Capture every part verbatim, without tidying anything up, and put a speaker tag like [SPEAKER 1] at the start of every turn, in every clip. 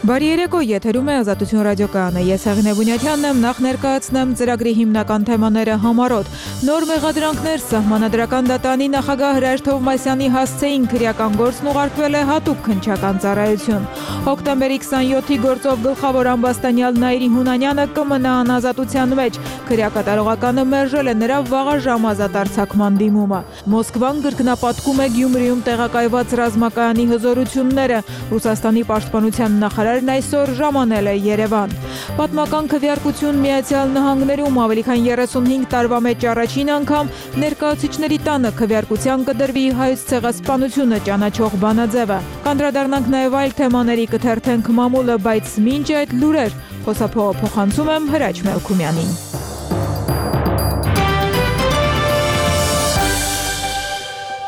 [SPEAKER 1] Բարի երեկո, եթերում է Ազատություն ռադիոկայանը։ Ես Հեղինե Բունյաթյանն եմ, նախ ներկայացնեմ ծրագրի հիմնական թեմաները համառոտ։ Նոր մեղադրանքներ Սահմանադրական դատարանի նախագահ Հրայր Թովմասյանի հասցեին քրեական գործն ուղարկվել է հատուկ քննչական ծառայություն։ Հոկտեմբերի քսանյոթի գործով գլխավոր ամբաստանյալ Նաիրի Հունանյանը կմնա անազատության մեջ։ Քրեակատարողականը մերժել է նրա վաղաժամ ազատ արձակման դիմումը։ Մոսկվան կրկնապատկում է Գյումրիում տեղակայված ռազմակայանի հզորությունները։ Ռուսաստանի պաշտպանության նախարարն այսօր ժամանել է Երևան։ Պատմական քվեարկություն Միացյալ Նահանգներում ավելի քան երեսունհինգ տարվա մեջ առաջին անգամ ներկայացուցիչների տանը քվեարկության կդրվի հայոց ցեղասպանությունը ճանաչող բանաձևը։ Կանդրադառնանք նաև այլ թեմաների, կթերթենք մամուլը, բայց մինչ այդ լուրեր խոսափողը փոխանցում եմ Հրաչ Մելքումյանին։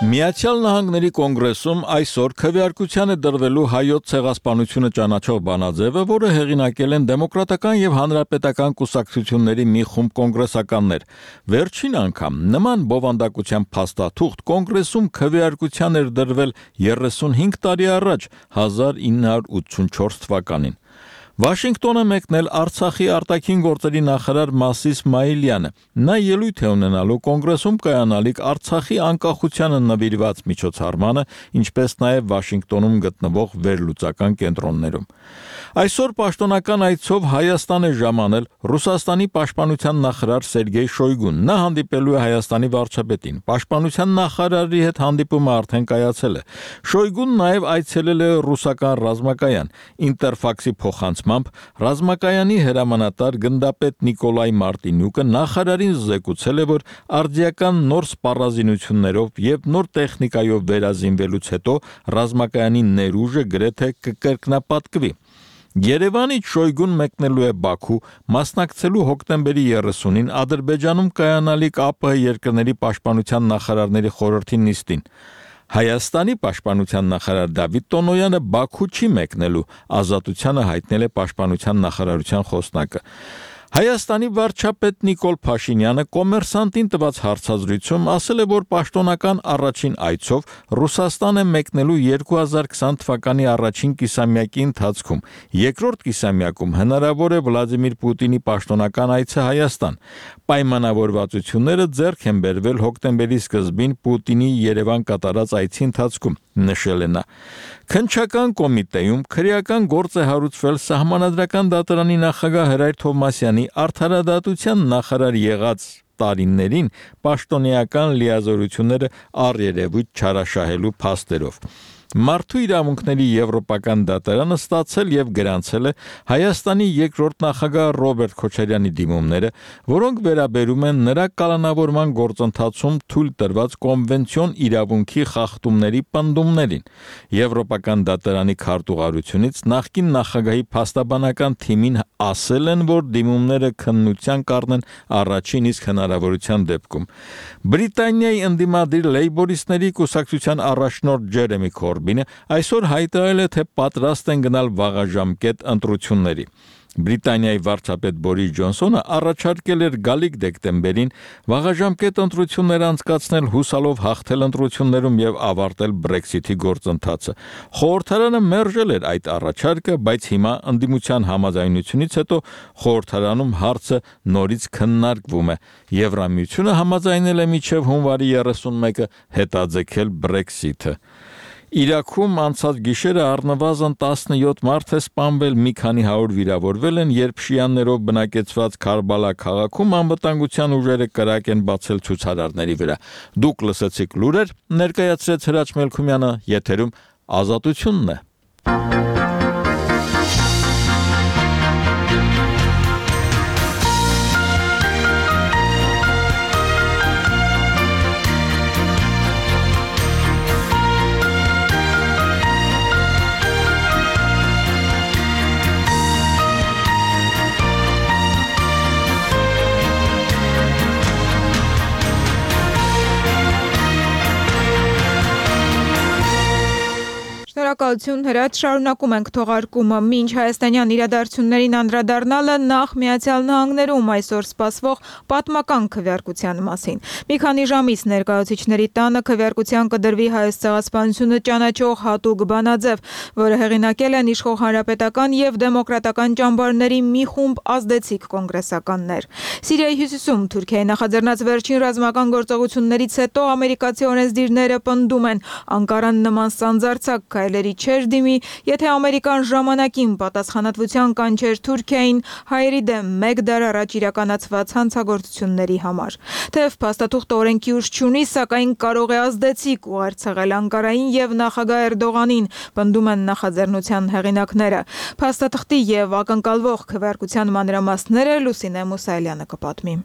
[SPEAKER 2] Միացյալ Նահանգների կոնգրեսում այսօր քվեարկության է դրվելու հայոց ցեղասպանությունը ճանաչող բանաձևը, որը հեղինակել են դեմոկրատական եւ հանրապետական կուսակցությունների մի խումբ կոնգրեսականներ։ Վերջին անգամ նման բովանդակության փաստաթուղթ կոնգրեսում քվեարկության էր դրվել երեսունհինգ տարի առաջ, հազար ինը հարյուր ութսունչորս թվականին։ Վաշինգտոն է մեկնել Արցախի արտաքին գործերի նախարար Մասիս Իսմայիլյանը։ Նա ելույթ է ունենալու կոնգրեսում կայանալիք Արցախի անկախությանը նվիրված միջոցառմանը, ինչպես նաև Վաշինգտոնում գտնվող վերլուծական կենտրոններում։ Այսօր պաշտոնական այցով Հայաստան է ժամանել Ռուսաստանի պաշտպանության նախարար Սերգեյ Շոյգուն։ Նա հանդիպելու է Հայաստանի վարչապետին։ Պաշտպանության նախարարի հետ հանդիպումը արդեն կայացել է։ Շոյգուն նաև այցելել է ռուսական ռազմակայան։ Ինտերֆաքսի փոխանցմամբ ռազմակայանի հրամանատար գնդապետ Նիկոլայ Մարտինյուկը նախարարին զեկուցել է, որ արդիական նոր սպառազինություններով եւ նոր տեխնիկայով վերազինվելուց հետո ռազմակայանի ներուժը գրեթե կկրկնապատկվի։ Երևանից Շոյգուն մեկնելու է Բաքու, մասնակցելու հոկտեմբերի երեսունին Ադրբեջանում կայանալիք ԱՊՀ երկրների պաշտպանության նախարարների խորհրդի նիստին։ Հայաստանի պաշտպանության նախարար Դավիթ Տոնոյանը Բաքու չի մեկնելու, ազատությանը հայտնել է պաշտպանության նախարարության խոսնակը։ Հայաստանի վարչապետ Նիկոլ Փաշինյանը Կոմերսանտին տված հարցազրույցում ասել է, որ պաշտոնական առաջին այցով Ռուսաստան է մեկնելու երկու հազար քսան թվականի առաջին կիսամյակի ընթացքում։ Երկրորդ կիսամյակում հնարավոր է Վլադիմիր Պուտինի պաշտոնական այցը Հայաստան։ Պայմանավորվածությունները ձեռք են բերվել հոկտեմբերի սկզբին Պուտինի Երևան կատարած այցի ընթացքում, նշել է նա։ Քննչական կոմիտեում քրեական գործ է հարուցվել Սահմանադրական դատարանի նախագահ Հրայր Թովմասյանի արդարադատության նախարար եղած տարիներին պաշտոնեական լիազորությունները առերևույթ չարաշահելու փաստերով։ Մարդու իրավունքների եվրոպական դատարանը ստացել եւ գրանցել է Հայաստանի երկրորդ նախագահ Ռոբերտ Քոչարյանի դիմումները, որոնք վերաբերում են նրա կալանավորման գործընթացում թույլ տրված կոնվենցիոն իրավունքի խախտումների պնդումներին։ Եվրոպական դատարանի քարտուղարությունից նախկին նախագահի փաստաբանական թիմին ասել են, որ դիմումները քննության կառնեն առաջին իսկ հնարավորության դեպքում։ Բրիտանիայի ընդդիմադիր լեյբորիստների կուսակցության առաջնորդ Ջերեմի Քորբինը այսօր հայտարարել է, թե պատրաստ են գնալ վաղաժամկետ ընտրությունների։ Բրիտանիայի վարչապետ Բորիս Ջոնսոնը առաջարկել էր գալիք դեկտեմբերին վաղաժամկետ ընտրություններ անցկացնել, հուսալով հաղթել ընտրություններում եւ ավարտել Brexit-ի գործընթացը։ Խորհրդարանը մերժել էր այդ առաջարկը, բայց հիմա ընդդիմության համաձայնությունից հետո խորհրդարանում հարցը նորից քննարկվում է։ Եվրամիությունը համաձայնել է մինչև հունվարի երեսունմեկը հետաձգել Brexit-ը։ Իրաքում անցած գիշերը առնվազն տասնյոթ մարդ է սպանվել, մի քանի հարյուր վիրավորվել են, երբ շիաներով բնակեցված Քարբալա քաղաքում անվտանգության ուժերը կրակ են բացել ցուցարարների վրա։ Դուք լսեցիք լուրեր, ներկայացրեց Հրաչ Մելքումյանը, եթերում Ազատությունն է։
[SPEAKER 1] Շնորհակալություն Հրաչ, շարունակում ենք թողարկումը։ Մինչ հայաստանյան իրադարձություններին անդրադառնալը նախ Միացյալ Նահանգներում այսօր սպասվող պատմական քվեարկության մասին։ Մի քանի ժամից ներկայացուցիչների տանը քվեարկության կդրվի Հայոց ցեղասպանությունը ճանաչող հատուկ բանաձև, որը հեղինակել են իշխող հանրապետական եւ դեմոկրատական ճամբարների մի խումբ ազդեցիկ կոնգրեսականներ։ Սիրիայի հյուսիսում Թուրքիայի նախաձեռնած վերջին ռազմական գործողություններից հետո ամերիկացի օրենսդիրները պնդում են Անկարան նման սանձարձակ քայլերի չէր դիմի, եթե Ամերիկան ժամանակին պատասխանատվության կանչեր Թուրքիային հայերի դեմ մեկ դար առաջ իրականացված հանցագործությունների համար։ Թեև փաստաթուղթը օրենքի ուժ չունի, սակայն կարող է ազդեցիկ ուղերձել Անկարային եւ նախագահ Էրդողանին, պնդում են նախաձեռնության հեղինակները։ Փաստաթղթի եւ ակնկալվող քվեարկության մանրամասները Լուսինե Մուսայելյանը կպատմի։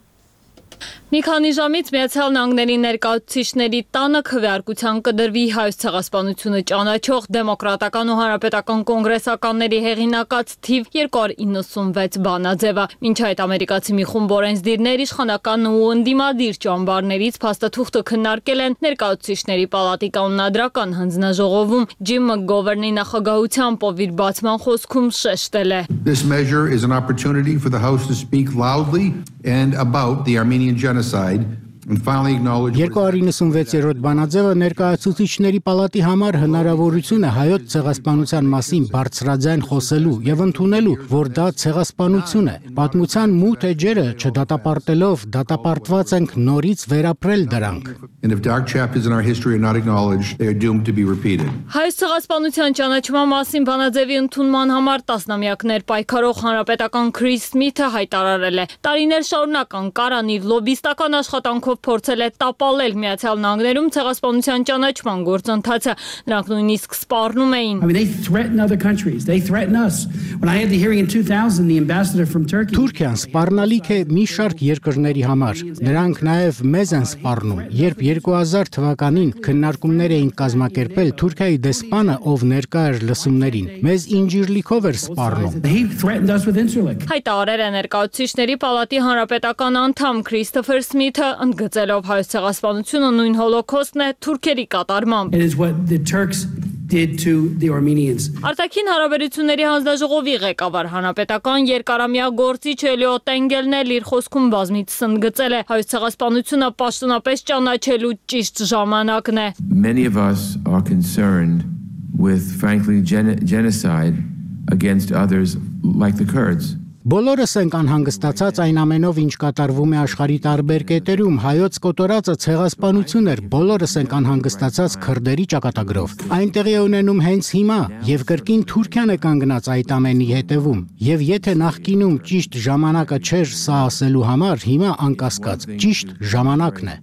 [SPEAKER 3] Մի քանի ժամից Միացյալ Նահանգների ներկայացուցիչների տանը քվեարկության կդրվի Հայոց ցեղասպանությունը ճանաչող դեմոկրատական ու հանրապետական կոնգրեսականների հեղինակած թիվ երկու հարյուր իննսունվեց բանաձևը։ Մինչ այդ ամերիկացի մի խումբ օրենսդիրներ իշխանական ու ընդդիմադիր ճամբարներից փաստաթուղթը քննարկել են ներկայացուցիչների պալատի կանոնադրական հանձնաժողովում։ Ջիմ Մակգովերնի նախագահությամբ ով իր բացման խոսքում շեշտել է.
[SPEAKER 4] This measure is an opportunity for the House to speak loudly and about the Armenian genocide and finally acknowledge
[SPEAKER 5] երկու հարյուր իննսունվեցերորդ բանաձևը ներկայացուցիչների պալատի համար հնարավորություն է հայոց ցեղասպանության մասին բարձրաձայն խոսելու եւ ընդունելու, որ դա ցեղասպանություն է։ Պատմության մութ էջերը չդատապարտելով դատապարտված ենք նորից վերապրել դրանք։
[SPEAKER 4] And if dark chapters in our history are not acknowledged, they are doomed to be repeated.
[SPEAKER 3] Հայոց ցեղասպանության ճանաչման մասին բանաձևի ընդունման համար տասնամյակներ պայքարող հանրապետական Քրիս Սմիթը հայտարարել է. տարիներ շարունակ Անկարան իր լոբիստական աշխատանքով փորձել է տապալել Միացյալ Նահանգներում ցեղասպանության ճանաչման գործընթացը։ Նրանք նույնիսկ սպառնում էին.
[SPEAKER 6] I mean, they threaten other countries. They threaten us. When I had the hearing in two thousand, the ambassador from Turkey.
[SPEAKER 5] Թուրքիան սպառնալիք է մի շարք երկրների համար։ Նրանք նաև մեզ են սպառնում։ Երբ երկու հազար թվականին քննարկումներ էին կազմակերպել, Թուրքիայի դեսպանը, ով ներկա էր լսումներին, մեզ ինջիրլիքով էր սպառնում։
[SPEAKER 6] He threatened us with Incirlik.
[SPEAKER 3] Հայտարարել է ներկայացուցիչների պալատի հանրապետական անդամ Քրիստոֆեր Սմիթը, ընդգծելով հայոց ցեղասպանությունը նույն հոլոքոստն է թուրքերի կատարմամբ։
[SPEAKER 6] It is what the Turks did to the Armenians.
[SPEAKER 3] Արտաքին հարաբերությունների հանձնաժողովի ղեկավար հանրապետական երկարամյա գործիչ Էլիոտ Էնգելն էլ իր խոսքում բազմիցս ընդգծել է հայոց ցեղասպանությունը պաշտոնապես ճանաչելու ճիշտ ժամանակն է։
[SPEAKER 7] Many of us are concerned with frankly gen genocide against others like the Kurds.
[SPEAKER 5] Բոլորս ենք անհանգստացած այն ամենով, ինչ կատարվում է աշխարհի տարբեր կետերում, հայոց կոտորածը ցեղասպանություն էր, բոլորս ենք անհանգստացած քրդերի ճակատագրով։ Այնտեղի է ունենում հենց հիմա, եւ կրկին Թուրքիան է կանգնած այդ ամենի հետևում։ Եվ եթե նախկինում ճիշտ ժամանակը չէր սա ասելու համար, հիմա անկասկած ճիշտ ժամանակն է։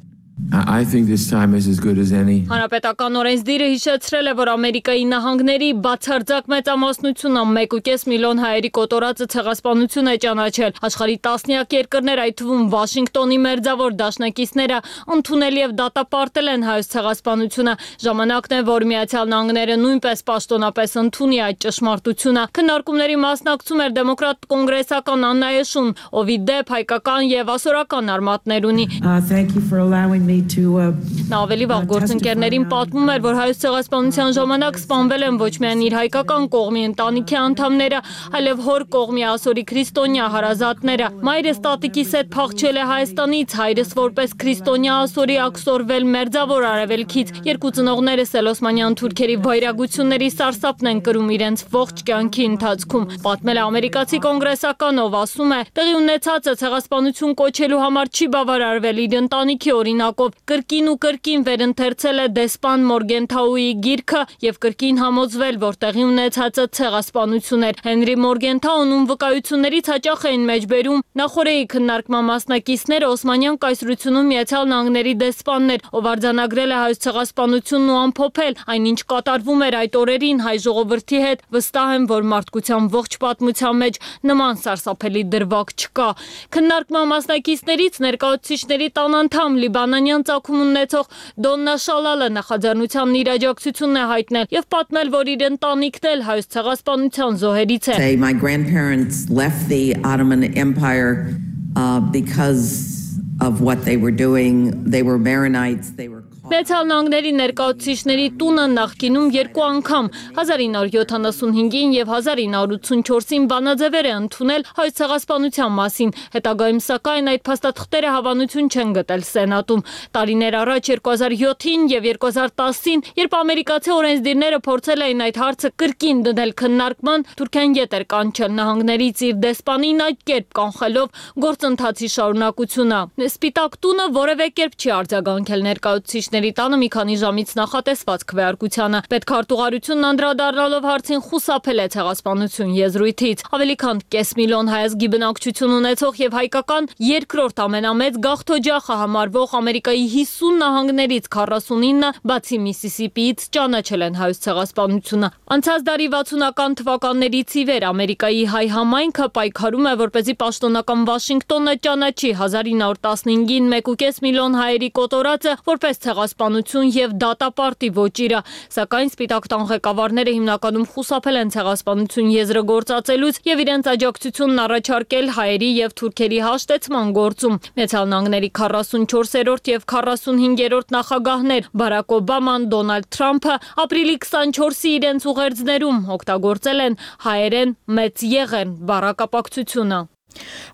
[SPEAKER 7] I think this time is as good as any.
[SPEAKER 3] Հանրապետական օրենսդիրը հիշեցրել է, որ Ամերիկայի նահանգների բացարձակ մեծամասնությունը մեկ ու կես միլիոն հայերի կոտորածը ցեղասպանություն է ճանաչել։ Աշխարհի տասնյակ երկրներ, այդ թվում Վաշինգտոնի մերձավոր դաշնակիցները, ընդունել եւ դատապարտել են հայոց ցեղասպանությունը։ Ժամանակն է, որ Միացյալ Նահանգները նույնպես պաշտոնապես ընդունի այդ ճշմարտությունը։ Քննարկումների մասնակցում էր դեմոկրատ կոնգրեսական Աննա Էշուն, ով ի դեպ հայկական եւ ասորական արմատներ ունի։
[SPEAKER 8] Thank you for allowing me to uh,
[SPEAKER 3] Նա ավելի վաղ գործընկերներին պատմում էր, որ հայոց ցեղասպանության ժամանակ սպանվել են ոչ միայն իր հայկական կողմի ընտանիքի անդամները, այլև հոր կողմի ասորի քրիստոնյա հարազատները։ Մայրս տատիկիս հետ փախչել է Հայաստանից, հայրս որպես քրիստոնյա ասորի ակսորվել Մերձավոր Արևելքից։ Երկու ծնողներս էլ օսմանյան թուրքերի վայրագությունների սարսափն են կրում իրենց ողջ կյանքի ընթացքում։ Պատմել է ամերիկացի կոնգրեսական, ով ասում է, տեղի ունեցածը ցեղասպանություն կոչելու համար չի բավարարվել իր ընտանիքի օրինակով։ Կրկին ու կրկին վերընթերցել է դեսպան Մորգենթաուի գիրքը եւ կրկին համոզվել, որ տեղի ունեցածը ցեղասպանություն էր։ Հենրի Մորգենթաուն, ում վկայություններից հաճախ էին մեջբերում նախորդի քննարկման մասնակիցները, օսմանյան կայսրությունում Միացյալ Նահանգների դեսպանն էր, ով արձանագրել է հայոց ցեղասպանությունն ու ամփոփել այն, ինչ կատարվում էր այդ օրերին հայ ժողովրդի հետ, վստահ եմ, որ մարդկության ողջ պատմության մեջ նման սարսափելի դրվագ չկա։ Քննարկման մասնակիցներից ներկայացուցիչների տան անդամ Լիբանանյան ծագում ունեցող Դոննա Շալալը նախաձեռնությանն իր աջակցությունն է հայտնել եւ պատմել, որ իր ընտանիքն էլ հայոց ցեղասպանության զոհերից է։
[SPEAKER 8] my grandparents left the Ottoman Empire uh, because of what they were doing. They were Maronites, they were
[SPEAKER 3] Միացյալ Նահանգների ներկայացուցիչների տունը նախկինում երկու անգամ հազար ինը հարյուր յոթանասունհինգին եւ հազար ինը հարյուր ութսունչորսին բանաձևեր է ընդունել հայոց ցեղասպանության մասին, հետագայում սակայն այդ փաստաթղթերը հավանություն չեն գտել Սենատում։ Տարիներ առաջ երկու հազար յոթին եւ երկու հազար տասին, երբ ամերիկացի օրենսդիրները փորձել էին այդ հարցը կրկին դնել քննարկման, Թուրքիան ետ էր կանչել նահանգներից իր դեսպանին այդ կերպ կանխելով գործընթացի շարունակությունը։ Սպիտակ տունը որևէ կերպ չի արձագանքել ներկայացուցիչների տանը մի քանի ժամից նախատեսված քվեարկությանը։ Պետքարտուղարությունն անդրադառնալով հարցին խուսափել է ցեղասպանություն եզրույթից։ Ավելի քան կես միլիոն հայազգի բնակչություն ունեցող եւ հայկական երկրորդ ամենամեծ գաղթօջախը համարվող Ամերիկայի հիսուն նահանգներից քառասունինը, բացի Միսիսիպիից, ճանաչել են հայոց ցեղասպանությունը։ Անցած դարի վաթսունական թվականներից ի վեր Ամերիկայի հայ համայնքը պայքարում է, որպեսզի պաշտոնական Վաշինգտոնը ճանաչի հազար ինը հարյուր տասնհինգին մեկ ու կես միլիոն հայերի կոտորածը որպես ցեղասպանություն եւ դատապարտի ոճիրը, սակայն Սպիտակ տան ղեկավարները հիմնականում խուսափել են ցեղասպանություն եզրը գործածելուց եւ իրենց աջակցությունն առաջարկել հայերի եւ թուրքերի հաշտեցման գործում։ Միացյալ Նահանգների քառասունչորսերորդ եւ քառասունհինգերորդ նախագահներ Բարակ Օբաման, Դոնալդ Թրամփը ապրիլի քսանչորսի իրենց ուղերձներում օգտագործել են հայերեն մեծ եղեն բառակապակցությունը։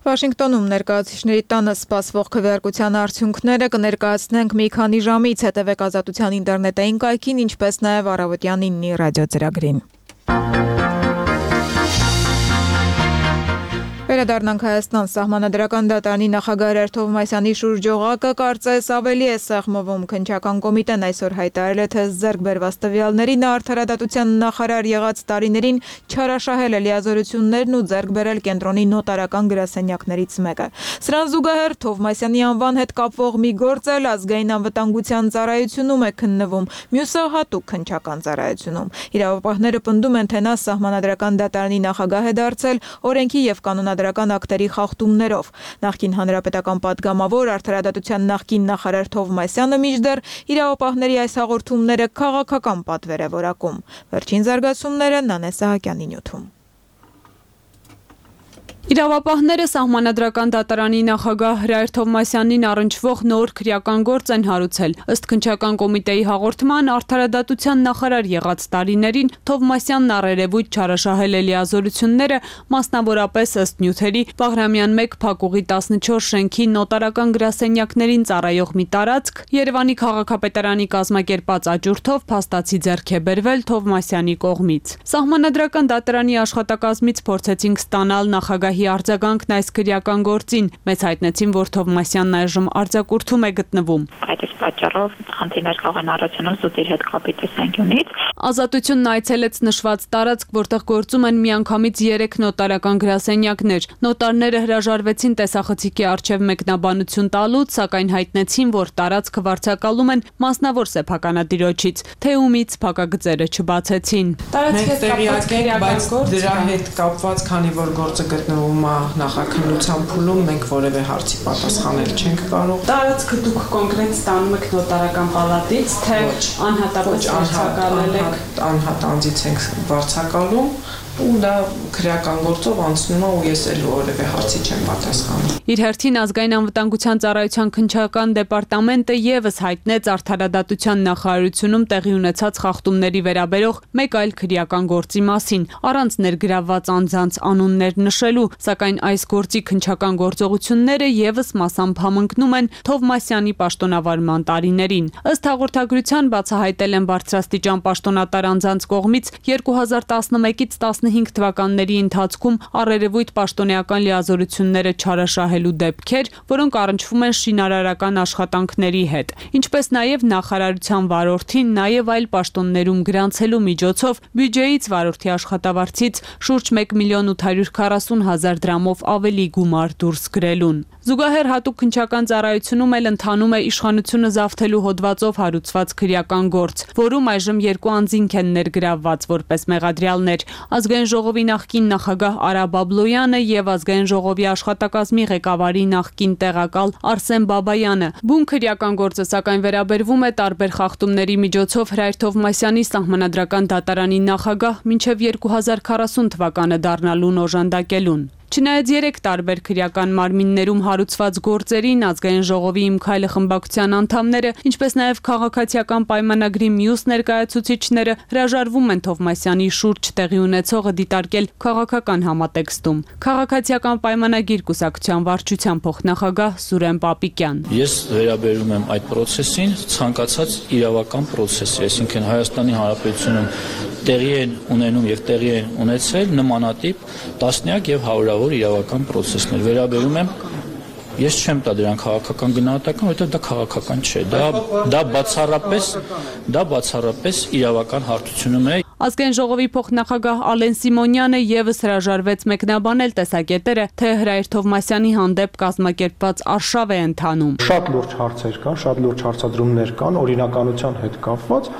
[SPEAKER 1] Վաշինգտոնում ներկայացուցիչների տանը սպասվող քվեարկության արդյունքները կներկայացնենք մի քանի ժամից, հետևեք Ազատության ինտերնետային կայքին, ինչպես նաև առավոտյան իննի ռադիոծրագրին։ Վերադառնանք Հայաստան, Սահմանադրական դատարանի նախագահ Հրայր Թովմասյանի շուրջօղակը կարծես ավելի է սեղմվում։ Քննչական կոմիտեն այսօր հայտարարել է, թե ձեռք բերված տվյալների նա արդարադատության նախարար եղած տարիներին չարաշահել է լիազորություններն ու ձեռք բերել կենտրոնի նոտարական գրասենյակներից մեկը։ Սրան զուգահեռ Թովմասյանի անվան հետ կապվող մի գործ էլ ազգային անվտանգության ծառայությունում է քննվում, մյուսը հատուկ քննչական ծառայությունում։ Իրավապահները պնդում են, թե նա Սահմանադրական դատարանի նախագահ է դարձել օրենքի եւ կանոնադրական ակտերի խախտումներով։ Նախկին հանրապետական падգամավոր արդարադատության նախկին նախարար Թովմասյանը մինչդեռ իրավապահների այս հաղորդումները քաղաքական պատվեր է որակում։ Վերջին զարգացումները Նանե Սահակյանի նյութում։
[SPEAKER 9] Իրավապահները Սահմանադրական դատարանի նախագահ Հրայր Թովմասյանին առնչվող նոր քրեական գործ են հարուցել։ Ըստ քննչական կոմիտեի հաղորդման, արդարադատության նախարար եղած տարիներին Թովմասյանն առերևույթ չարաշահել է լիազորությունները, մասնավորապես ըստ նյութերի Բաղրամյան մեկ փակուղի տասնչորս շենքի նոտարական գրասենյակներին ծառայող մի տարածք Երևանի քաղաքապետարանի կազմակերպած աճուրդով փաստացի ձեռք է բերվել Թովմասյանի կողմից։ Սահմանադրական դատարանի աշխատակազմից փորձեցինք ստանալ նախագահի արձագանքն այս քրեական գործին, մեզ հայտնեցին, որ Թովմասյանն այժմ արձակուրդում է գտնվում։
[SPEAKER 10] Այդ իսկ պատճառով խնդիրներ կարող են առաջանալ զուտիր հետ կապի տեսանկյունից։
[SPEAKER 9] Ազատությունն այցելեց նշված տարածք, որտեղ գործում են միանգամից երեք նոտարական գրասենյակներ։ Նոտարները հրաժարվեցին տեսախցիկի առջև մեկնաբանություն տալուց, սակայն հայտնեցին, որ տարածքը վարձակալում են մասնավոր սեփականատիրոջից, թե ումից փակագծերը չբացեցին։
[SPEAKER 11] Մենք տեղյակ ենք, բայց դրա հետ կապված, քանի որ գործը գտնվում է նախաքննության փուլում, մենք որևէ հարցի պատասխանել չենք կարող։
[SPEAKER 9] Տարածքը դուք կոնկրետ ստանում եք նոտարական պալատից, թե անհատապես վարձակալել եք։
[SPEAKER 11] Անհատ անձից ենք վարձակալում ու դա քրեական գործով անցնում է ու ես էլ որևէ հարցի չեմ պատասխանում։
[SPEAKER 9] Իր հերթին ազգային անվտանգության ծառայության քննչական դեպարտամենտը եւս հայտնեց արդարադատության նախարարությունում տեղի ունեցած խախտումների վերաբերող մեկ այլ քրեական գործի մասին, առանց ներգրավված անձանց անուններ նշելու, սակայն այս գործի քննչական գործողությունները եւս մասամբ համընկնում են Թովմասյանի պաշտոնավարման տարիներին։ Ըստ հաղորդագրության բացահայտել են բարձրաստիճան պաշտոնատար անձանց կողմից երկու հազար տասնմեկից տասնհինգ թվականների ընթացքում առերևույթ պաշտոնեական լիազորությունները չարաշահելու դեպքեր, որոնք առնչվում են շինարարական աշխատանքների հետ, ինչպես նաև նախարարության վարորդին նաև այլ պաշտոններում գրանցելու միջոցով բյուջեից վարորդի աշխատավարձից շուրջ մեկ միլիոն ութ հարյուր քառասուն հազար դրամով ավելի գումար դուրս գրելուն։ Զուգահեռ հատուկ քննչական ծառայությունում էլ ընթանում է իշխանությունը զավթելու հոդվածով հարուցված քրեական գործ, որում այժմ երկու անձինք են ներգրավված որպես մեղադրյալներ՝ Ազգային ժողովի նախկին նախագահ Արա Բաբլոյանը եւ Ազգային ժողովի աշխատակազմի ղեկավարի նախկին տեղակալ Արսեն Բաբայանը։ Բուն քրեական գործը սակայն վերաբերվում է տարբեր խախտումների միջոցով Հրայր Թովմասյանի Սահմանադրական դատարանի նախագահ մինչև երկու հազար քառասուն թվականը դառնալուն օժանդակելուն։ Չնայած երեք տարբեր քրեական մարմիններում հարուցված գործերին ազգային ժողովի Իմ քայլը խմբակցության անդամները, ինչպես նաև քաղաքացիական պայմանագրի մյուս ներկայացուցիչները հրաժարվում են Թովմասյանի շուրջ տեղի ունեցողը դիտարկել քաղաքական համատեքստում։ Քաղաքացիական պայմանագիր կուսակցության վարչության փոխնախագահ Սուրեն Պապիկյան։
[SPEAKER 12] Ես վերաբերում եմ այդ process-ին ցանկացած իրավական process-ի, այսինքն Հայաստանի Հանրապետությունում տեղի են ունենում եւ տեղի են ունեցել նմանատիպ տասնյակ եւ հարյուրավոր իրավական process-ներ վերաբերում եմ ես չեմ տա դրան քաղաքական գնահատական, որովհետեւ դա քաղաքական չէ, դա դա բացառապես դա բացառապես իրավական հարթությունում է։
[SPEAKER 9] Ազգային ժողովի փոխնախագահ Ալեն Սիմոնյանը եւս հրաժարվեց մեկնաբանել տեսակետերը, թե Հրայր Թովմասյանի հանդեպ կազմակերպված արշավ է ընթանում։
[SPEAKER 13] Շատ լուրջ հարցեր կան, շատ լուրջ հարցադրումներ կան օրինականության հետ կապված։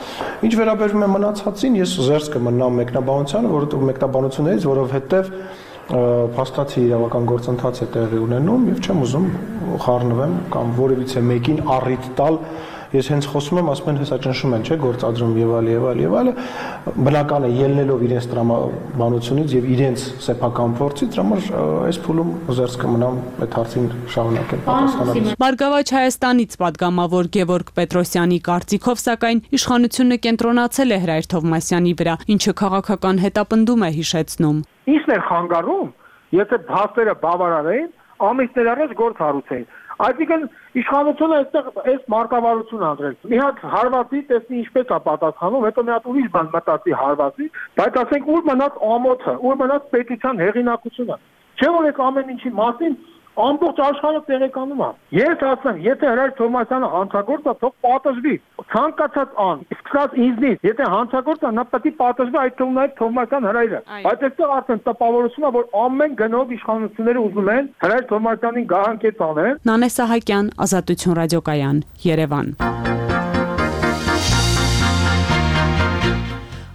[SPEAKER 13] Ինչ վերաբերում է մնացածին, ես զերծ կմնամ մեկնաբանությանը, որովհետեւ մեկնաբանություններից, որովհետեւ փաստացի իրավական գործընթաց է տեղի ունենում եւ չեմ ուզում խառնվեմ կամ որևիցե մեկին առիթ տալ ես հենց խոսում եմ ասում են հեսա ճնշում են չէ գործադրում եւ այլ եւ այլ եւ այլ բնական է ելնելով իրենց տրամաբանությունից եւ իրենց սեփական փորձից դրա համար այս փուլում զերծ կմնամ այդ հարցին շարունակել պատասխանել։
[SPEAKER 9] Բարգավաճ Հայաստանից падգամավոր Գևորգ Պետրոսյանի կարծիքով սակայն իշխանությունը կենտրոնացել է Հրայր Թովմասյանի վրա, ինչը քաղաքական հետապնդում է հիշեցնում։
[SPEAKER 14] Ինչն էր խանգարում, եթե փաստերը բավարար էին, ամիսներ առաջ գործ հարուցեին։ Այսինքն իշխանությունը այստեղ այս մարտավարություն անդրել։ Մի հատ հարվածի տեսնի ինչպես է պատասխանում, հետո մի հատ ուրիշ բան մտածի հարվածի, բայց ասենք ուր մնաց ամոթը, ուր մնաց պետության հեղինակությունը։ Չէ՞ որ այս ամեն ինչի մասին ամբողջ աշխարհը տեղեկանում է։ Ես ասեմ, եթե Հրայր Թովմասյանը հանցագործ է, թող պատժվի։ Ցանկացած ան, սկսած ինձնից, եթե հանցագործ է, նա պետք է պատժվի, այդ թվում նաև Թովմասյան Հրայրը։ Բայց այստեղ արդեն տպավորություն է, որ ամեն գնով իշխանությունները ուզում են Հրայր Թովմասյանին գահանքեց անեն։
[SPEAKER 9] Նանե Սահակյան, Ազատություն ռադիոկայան, Երևան։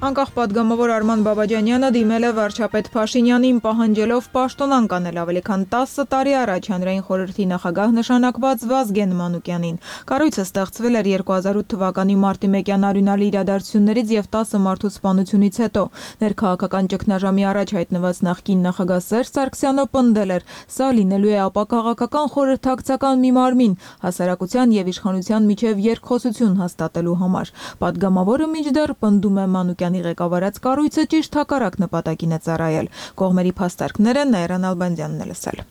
[SPEAKER 1] Անկախ падգամավոր Արման Բաբաջանյանը դիմել է վարչապետ Փաշինյանին պահանջելով պաշտոնանկ անել ավելի քան տասը տարի առաջ հանրային խորհրդի նախագահ նշանակված Վազգեն Մանուկյանին։ Կառույցը ստեղծվել էր երկու հազար ութ թվականի մարտի մեկյան արյունալի իրադարձություններից եւ տասը մարդու սպանությունից հետո։ Ներքաղաքական ճգնաժամի առաջ հայտնված նախկին նախագահ Սերժ Սարգսյանը պնդել էր, սա լինելու է ապակաղակական խորհրդակցական մի մարմին հասարակության եւ իշխանության միջև երկխոսություն հաստատելու համար։ Падգամավորը մինչդեռ պնդում է Մանուկյան ղեկավարած կառույցը ճիշտ հակառակ նպատակին է ծառայել։ Կողմերի փաստարկները Նայրան Ալբանդյանն է լսել։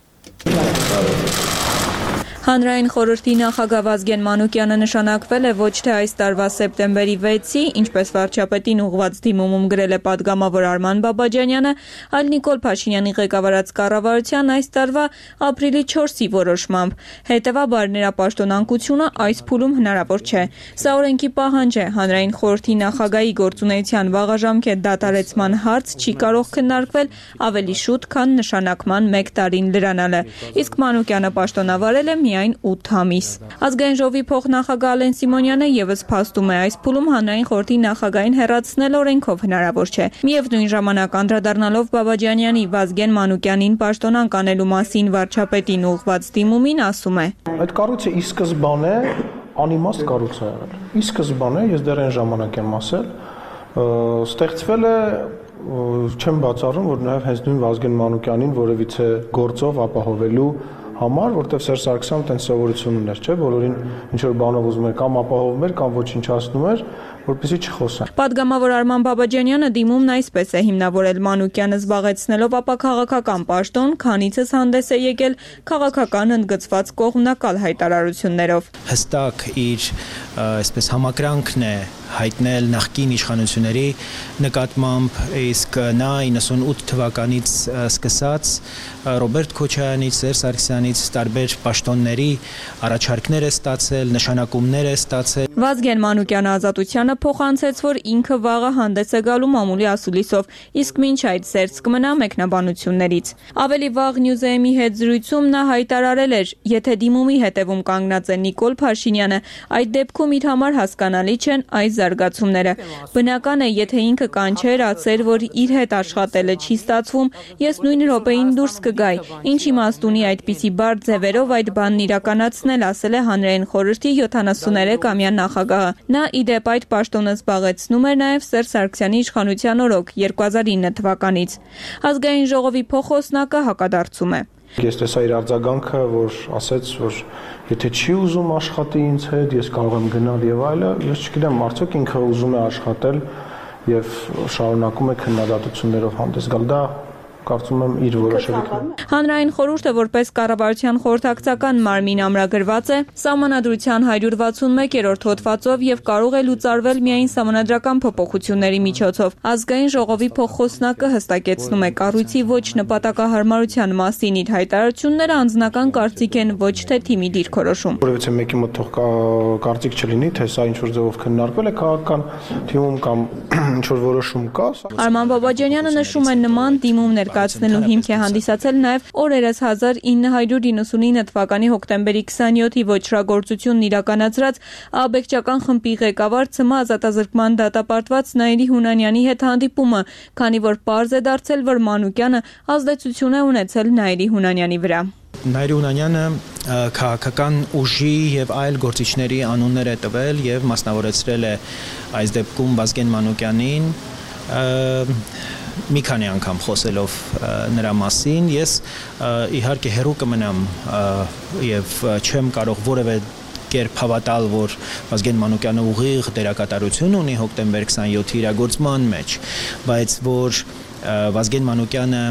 [SPEAKER 15] Հանրային խորհրդի նախագահ Վազգեն Մանուկյանը նշանակվել է ոչ թե այս տարվա սեպտեմբերի վեցի, ինչպես վարչապետին ուղղված դիմումում գրել է падգամավոր Արման Բաբաջանյանը, այլ Նիկոլ Փաշինյանի ղեկավարած կառավարության այս տարվա ապրիլի չորսի որոշմամբ։ Հետևաբար նրա պաշտոնանկությունը այս փուլում հնարավոր չէ։ Սա օրենքի պահանջ է։ Հանրային խորհրդի նախագահի գործունեության վաղաժամկետ դադարեցման հարց չի կարող քննարկվել ավելի շուտ, քան նշանակման մեկ տարին լրանալը։ Իսկ Մանուկյանը պաշտոնավարել է միայն ութ ամիս։ Ազգային ժողովի փոխնախագահ Ալեն Սիմոնյանը եւս փաստում է այս փուլում հանրային խորհրդի նախագահին հեռացնել օրենքով հնարավոր չէ։ Միևնույն ժամանակ անդրադառնալով Բաբաջանյանի Վազգեն Մանուկյանին պաշտոնանկ անելու մասին վարչապետին ուղղված դիմումին ասում է.
[SPEAKER 13] Այդ կառույցը ի սկզբանե անիմաստ կառույց է եղել։ Ի սկզբանե ես դեռ այն ժամանակ եմ ասել, ստեղծվել է չեմ բացառում, որ նաև հենց նույն Վազգեն Մանուկյանին որևիցե գործով ապահովելու համար, որտեղ Սերժ Սարգսյանը տենց սովորություն ուներ, չէ՞, բոլորին ինչ որ բանով ուզում էր կամ ապահովում էր, կամ ոչնչացնում էր, որպեսզի չխոսեն։
[SPEAKER 15] Падգամավոր Արման Բաբաջանյանը դիմումն այսպես է հիմնավորել Մանուկյանը զբաղեցնելով ապակաղակական պաշտոն, քանիցս հանդես է եկել քաղաքական ընդգծված կողմնակալ հայտարարություններով։
[SPEAKER 16] Հստակ իր այսպես համակրանքն է հայտնել նախկին իշխանությունների նկատմամբ, իսկ նա իննսունութ թվականից սկսած Ռոբերտ Քոչարյանից, Սերժ Սարգսյանից տարբեր պաշտոնների առաջարկներ է ստացել, նշանակումներ է ստացել։
[SPEAKER 15] Վազգեն Մանուկյանը Ազատությանը փոխանցեց, որ ինքը վաղը հանդես է գալու մամուլի ասուլիսով, իսկ մինչ այդ զերծ կմնա մեկնաբանություններից։ Ավելի վաղ Նյուզեեմի հետ զրույցում նա հայտարարել էր, եթե դիմումի հետևում կանգնած է Նիկոլ Փաշինյանը, այդ դեպքում իր համար հասկանալի չեն այս զարգացումները։ Բնական է, եթե ինքը կանչեր, ասեր, որ իր հետ աշխատելը չի ստացվում, ես նույն րոպեին դուրս կգայի։ Ինչ իմաստ ունի այդպիսի բարդ ձևերով այդ բանն իրականացնել, ասել է հանրային խորհրդի յոթանասուներեք ամյա նախագահը։ Նա ի դեպ այդ պաշտոնը զբաղեցնում էր նաև Սերժ Սարգսյանի իշխանության օրոք երկու հազար ինը թվականից։ Ազգային ժողովի փոխոսնակը հակադարձում է։
[SPEAKER 13] Ես տեսա իր արձագանքը, որ ասաց, որ եթե չի ուզում աշխատի ինձ հետ, ես կարող եմ գնալ եւ այլը, ես չգիտեմ, արդյոք ինքը ուզում է աշխատել եւ շարունակում է քննադատություններով հանդես գալ, դա կարծում եմ իր որոշելիքն։
[SPEAKER 15] Հանրային խորհուրդը որպես կառավարության խորհրդակցական մարմին ամրագրված է Սահմանադրության հարյուր վաթսունմեկերորդ հոդվածով եւ կարող է լուծարվել միայն սահմանադրական փոփոխությունների միջոցով։ Ազգային ժողովի փոխոսնակը հստակեցնում է կառույցի ոչ նպատակահարմարության մասին իր հայտարարությունները անձնական կարծիք են, ոչ թե թիմի դիրքորոշում։
[SPEAKER 13] Որովհետեւ մեկի մոտ թող կարծիք չլինի, թե սա ինչ որ ձևով քննարկվել է քաղաքական թիմում կամ ինչ որ որոշում կա։
[SPEAKER 15] Արման Բաբաջանյանը նշում է նման դիմումներ կացնելու հիմք է հանդիսացել նաև օրերս հազար ինը հարյուր իննսունինը թվականի հոկտեմբերի քսաներորդի ոչրագործությունն իրականացրած աբեկչական խմբի ղեկավար ՑՄ ազատազրկման դատապարտված Նայիրի Հունանյանի հետ հանդիպումը, քանի որ պարզ է դարձել, որ Մանուկյանը ազդեցություն է ունեցել Նայիրի Հունանյանի վրա։
[SPEAKER 16] Նայիրի Հունանյանը քաղաքական ուժի եւ այլ գործիչների անուններ է տվել եւ մասնավորեցրել է այս դեպքում Վազգեն Մանուկյանին մի քանի անգամ խոսելով նրա մասին, ես իհարկե հերու կմնամ եւ չեմ կարող որևէ կերպ հավատալ, որ Վազգեն Մանուկյանը ուղիղ դերակատարություն ունի հոկտեմբեր քսաներորդի իրագործման մեջ, բայց որ Վազգեն Մանուկյանը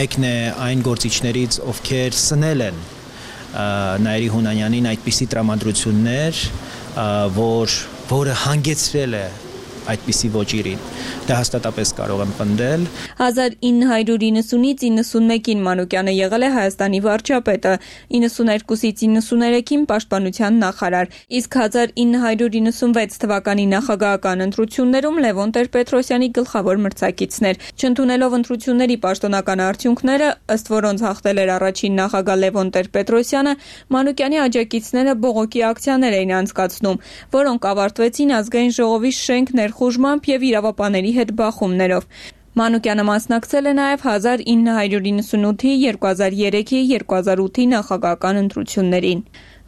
[SPEAKER 16] մեկն է այն գործիչներից, ովքեր սնել են Նայիրի Հունանյանին այդպիսի տրամադրություններ, որ որը հանգեցրել է այդպիսի ոճիրին։ Դա հաստատապես կարող եմ պնդել։
[SPEAKER 15] հազար ինը հարյուր իննսունից իննսունմեկին Մանուկյանը եղել է Հայաստանի վարչապետը, իննսուներկուսից իննսուներեքին պաշտպանության նախարար, իսկ հազար ինը հարյուր իննսունվեց թվականի նախագահական ընտրություններում Լևոն Տեր-Պետրոսյանի գլխավոր մրցակիցներ։ Չընդունելով ընտրությունների պաշտոնական արդյունքները, ըստ որոնց հաղթել էր առաջին նախագահ Լևոն Տեր-Պետրոսյանը, Մանուկյանի աջակիցները բողոքի ակցիաներ էին անցկացնում, որոնք ավարտվեցին ազգային ժողովի շենք ներխուժմամբ եւ իրավապանների հետ բախումներով։ Մանուկյանը մասնակցել է նաև հազար ինը հարյուր իննսունութի, երկու հազար երեքի, երկու հազար ութի նախագահական ընտրություններին։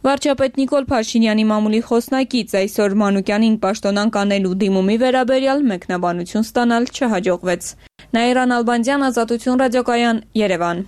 [SPEAKER 15] Վարչապետ Նիկոլ Փաշինյանի մամուլի խոսնակից այսօր Մանուկյանին պաշտոնանկ անելու դիմումի վերաբերյալ մեկնաբանություն ստանալ չհաջողվեց։ Նաիրան Ալբանդյան, Ազատություն ռադիոկայան, Երևան։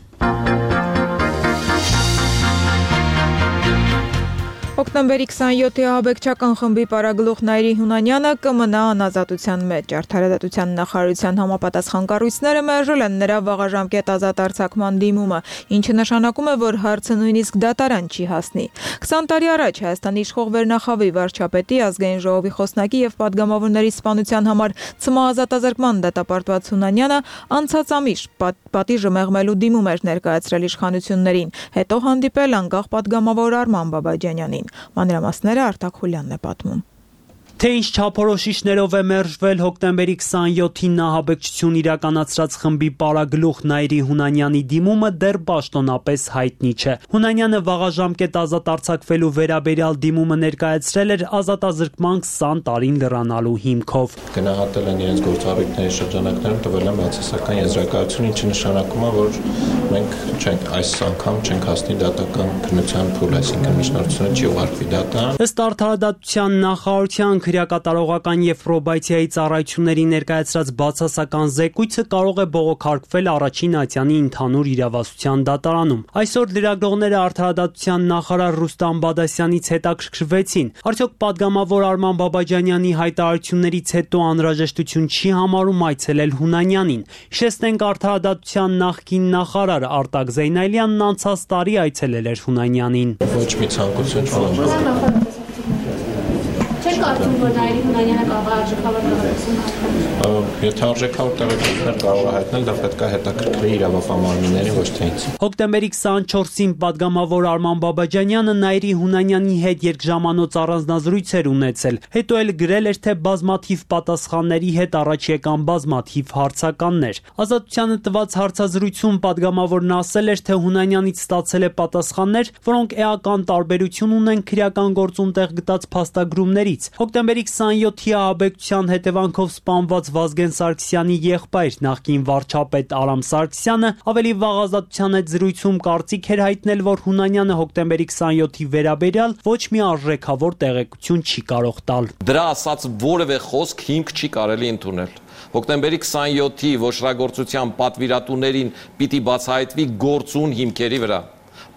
[SPEAKER 1] Հոկտեմբերի քսաներորդի ահաբեկչական խմբի պարագլուխ Նայիրի Հունանյանը կմնա անազատության մեջ։ Արդարադատության նախարարության համապատասխան կառույցները մերժել են նրա վաղաժամկետ ազատ արձակման դիմումը, ինչը նշանակում է, որ հարցը նույնիսկ դատարան չի հասնի։ քսան տարի առաջ Հայաստանի իշխող Վերնախավի վարչապետի, ազգային ժողովի խոսնակի եւ падգամավորների սպանության համար ՑՄ ազատազրկման դատապարտված Հունանյանը անցած ամիս պատիժը մեղմելու դիմում էր ներկայացրել իշխանություններին, հետո հանդիպել անկախ падգամավոր Արման Բաբաջանյանին։ Մանրամասները Արտակ Խուլյանն է պատմում։
[SPEAKER 17] Թե ինչ չափորոշիչներով է մերժվել հոկտեմբերի քսաներորդին ահաբեկչություն իրականացրած խմբի պարագլուխ Նայիրի Հունանյանի դիմումը դեռ պաշտոնապես հայտնի չէ։ Հունանյանը վաղաժամկետ ազատ արձակվելու վերաբերյալ դիմումը ներկայացրել էր ազատազրկման քսան տարին լրանալու հիմքով։
[SPEAKER 18] Գնահատել են իրենց գործառույթների շրջանակներում, տվել են բացասական եզրակացություն, ինչը նշանակում է, որ մենք չենք այս անգամ չենք հասնի դատական քննության փուլ, այսինքն միջնորդությունը չի ուղարկվի դատարան։
[SPEAKER 17] Ըստ արդարադատության նախարարության քրեակատարողական եւ պրոբացիայի ծառայությունների ներկայացրած բացասական զեկույցը կարող է բողոքարկվել առաջին ատյանի ընդհանուր իրավասության դատարանում։ Այսօր լրագրողները արդարադատության նախարար Ռուստամ Բադասյանից հետաքրքրվեցին, արդյոք падգամավոր Արման Բաբաջանյանի հայտարարություններից հետո անհրաժեշտություն չի համարում այցելել Հունանյանին։ Հիշեցնենք, արդարադատության նախկին նախարար Արտակ Զեյնալյանն անցած տարի այցելել էր Հունանյանին։
[SPEAKER 18] Ոչ մի ցանկություն չունեմ։
[SPEAKER 19] Չեք կարծում, որ Նայիրի Հունանյանը կարող է արժեքավոր տեղեկություն
[SPEAKER 18] Եթե արժեքավոր տեղեկություններ կարող է հայտնել, դա պետք է հետաքրքրի իրավապահմաններին, ոչ թե ինձ։
[SPEAKER 17] Հոկտեմբերի քսաներկուսին падգամավոր Արման Բաբաջանյանը Նայիրի Հունանյանի հետ երկժամանոց առանձնազրույց էր ունեցել, հետո էլ գրել էր, թե բազմաթիվ պատասխանների հետ առաջ եկան բազմաթիվ հարցականներ։ Ազատությանը տված հարցազրույցում падգամավորն ասել էր, թե Հունանյանից ստացել է պատասխաններ, որոնք էական տարբերություն ունեն քրեական գործում տեղ գտած փաստագրումներից, Հոկտեմբերի քսանյոթի ահաբեկչության հետևանքով սպանված Վազգեն Սարգսյանի եղբայր նախկին վարչապետ Արամ Սարգսյանը ավելի վաղ ազատության հետ զրույցում կարծիք էր հայտնել, որ Հունանյանը հոկտեմբերի քսանյոթի վերաբերյալ ոչ մի արժեքավոր տեղեկություն չի կարող տալ։
[SPEAKER 20] Դրա ասած որևէ խոսք հիմք չի կարելի ընդունել։ Հոկտեմբերի քսանյոթի ոչռագործության պատվիրատուներին պիտի բացահայտվի գործուն հիմքերի վրա,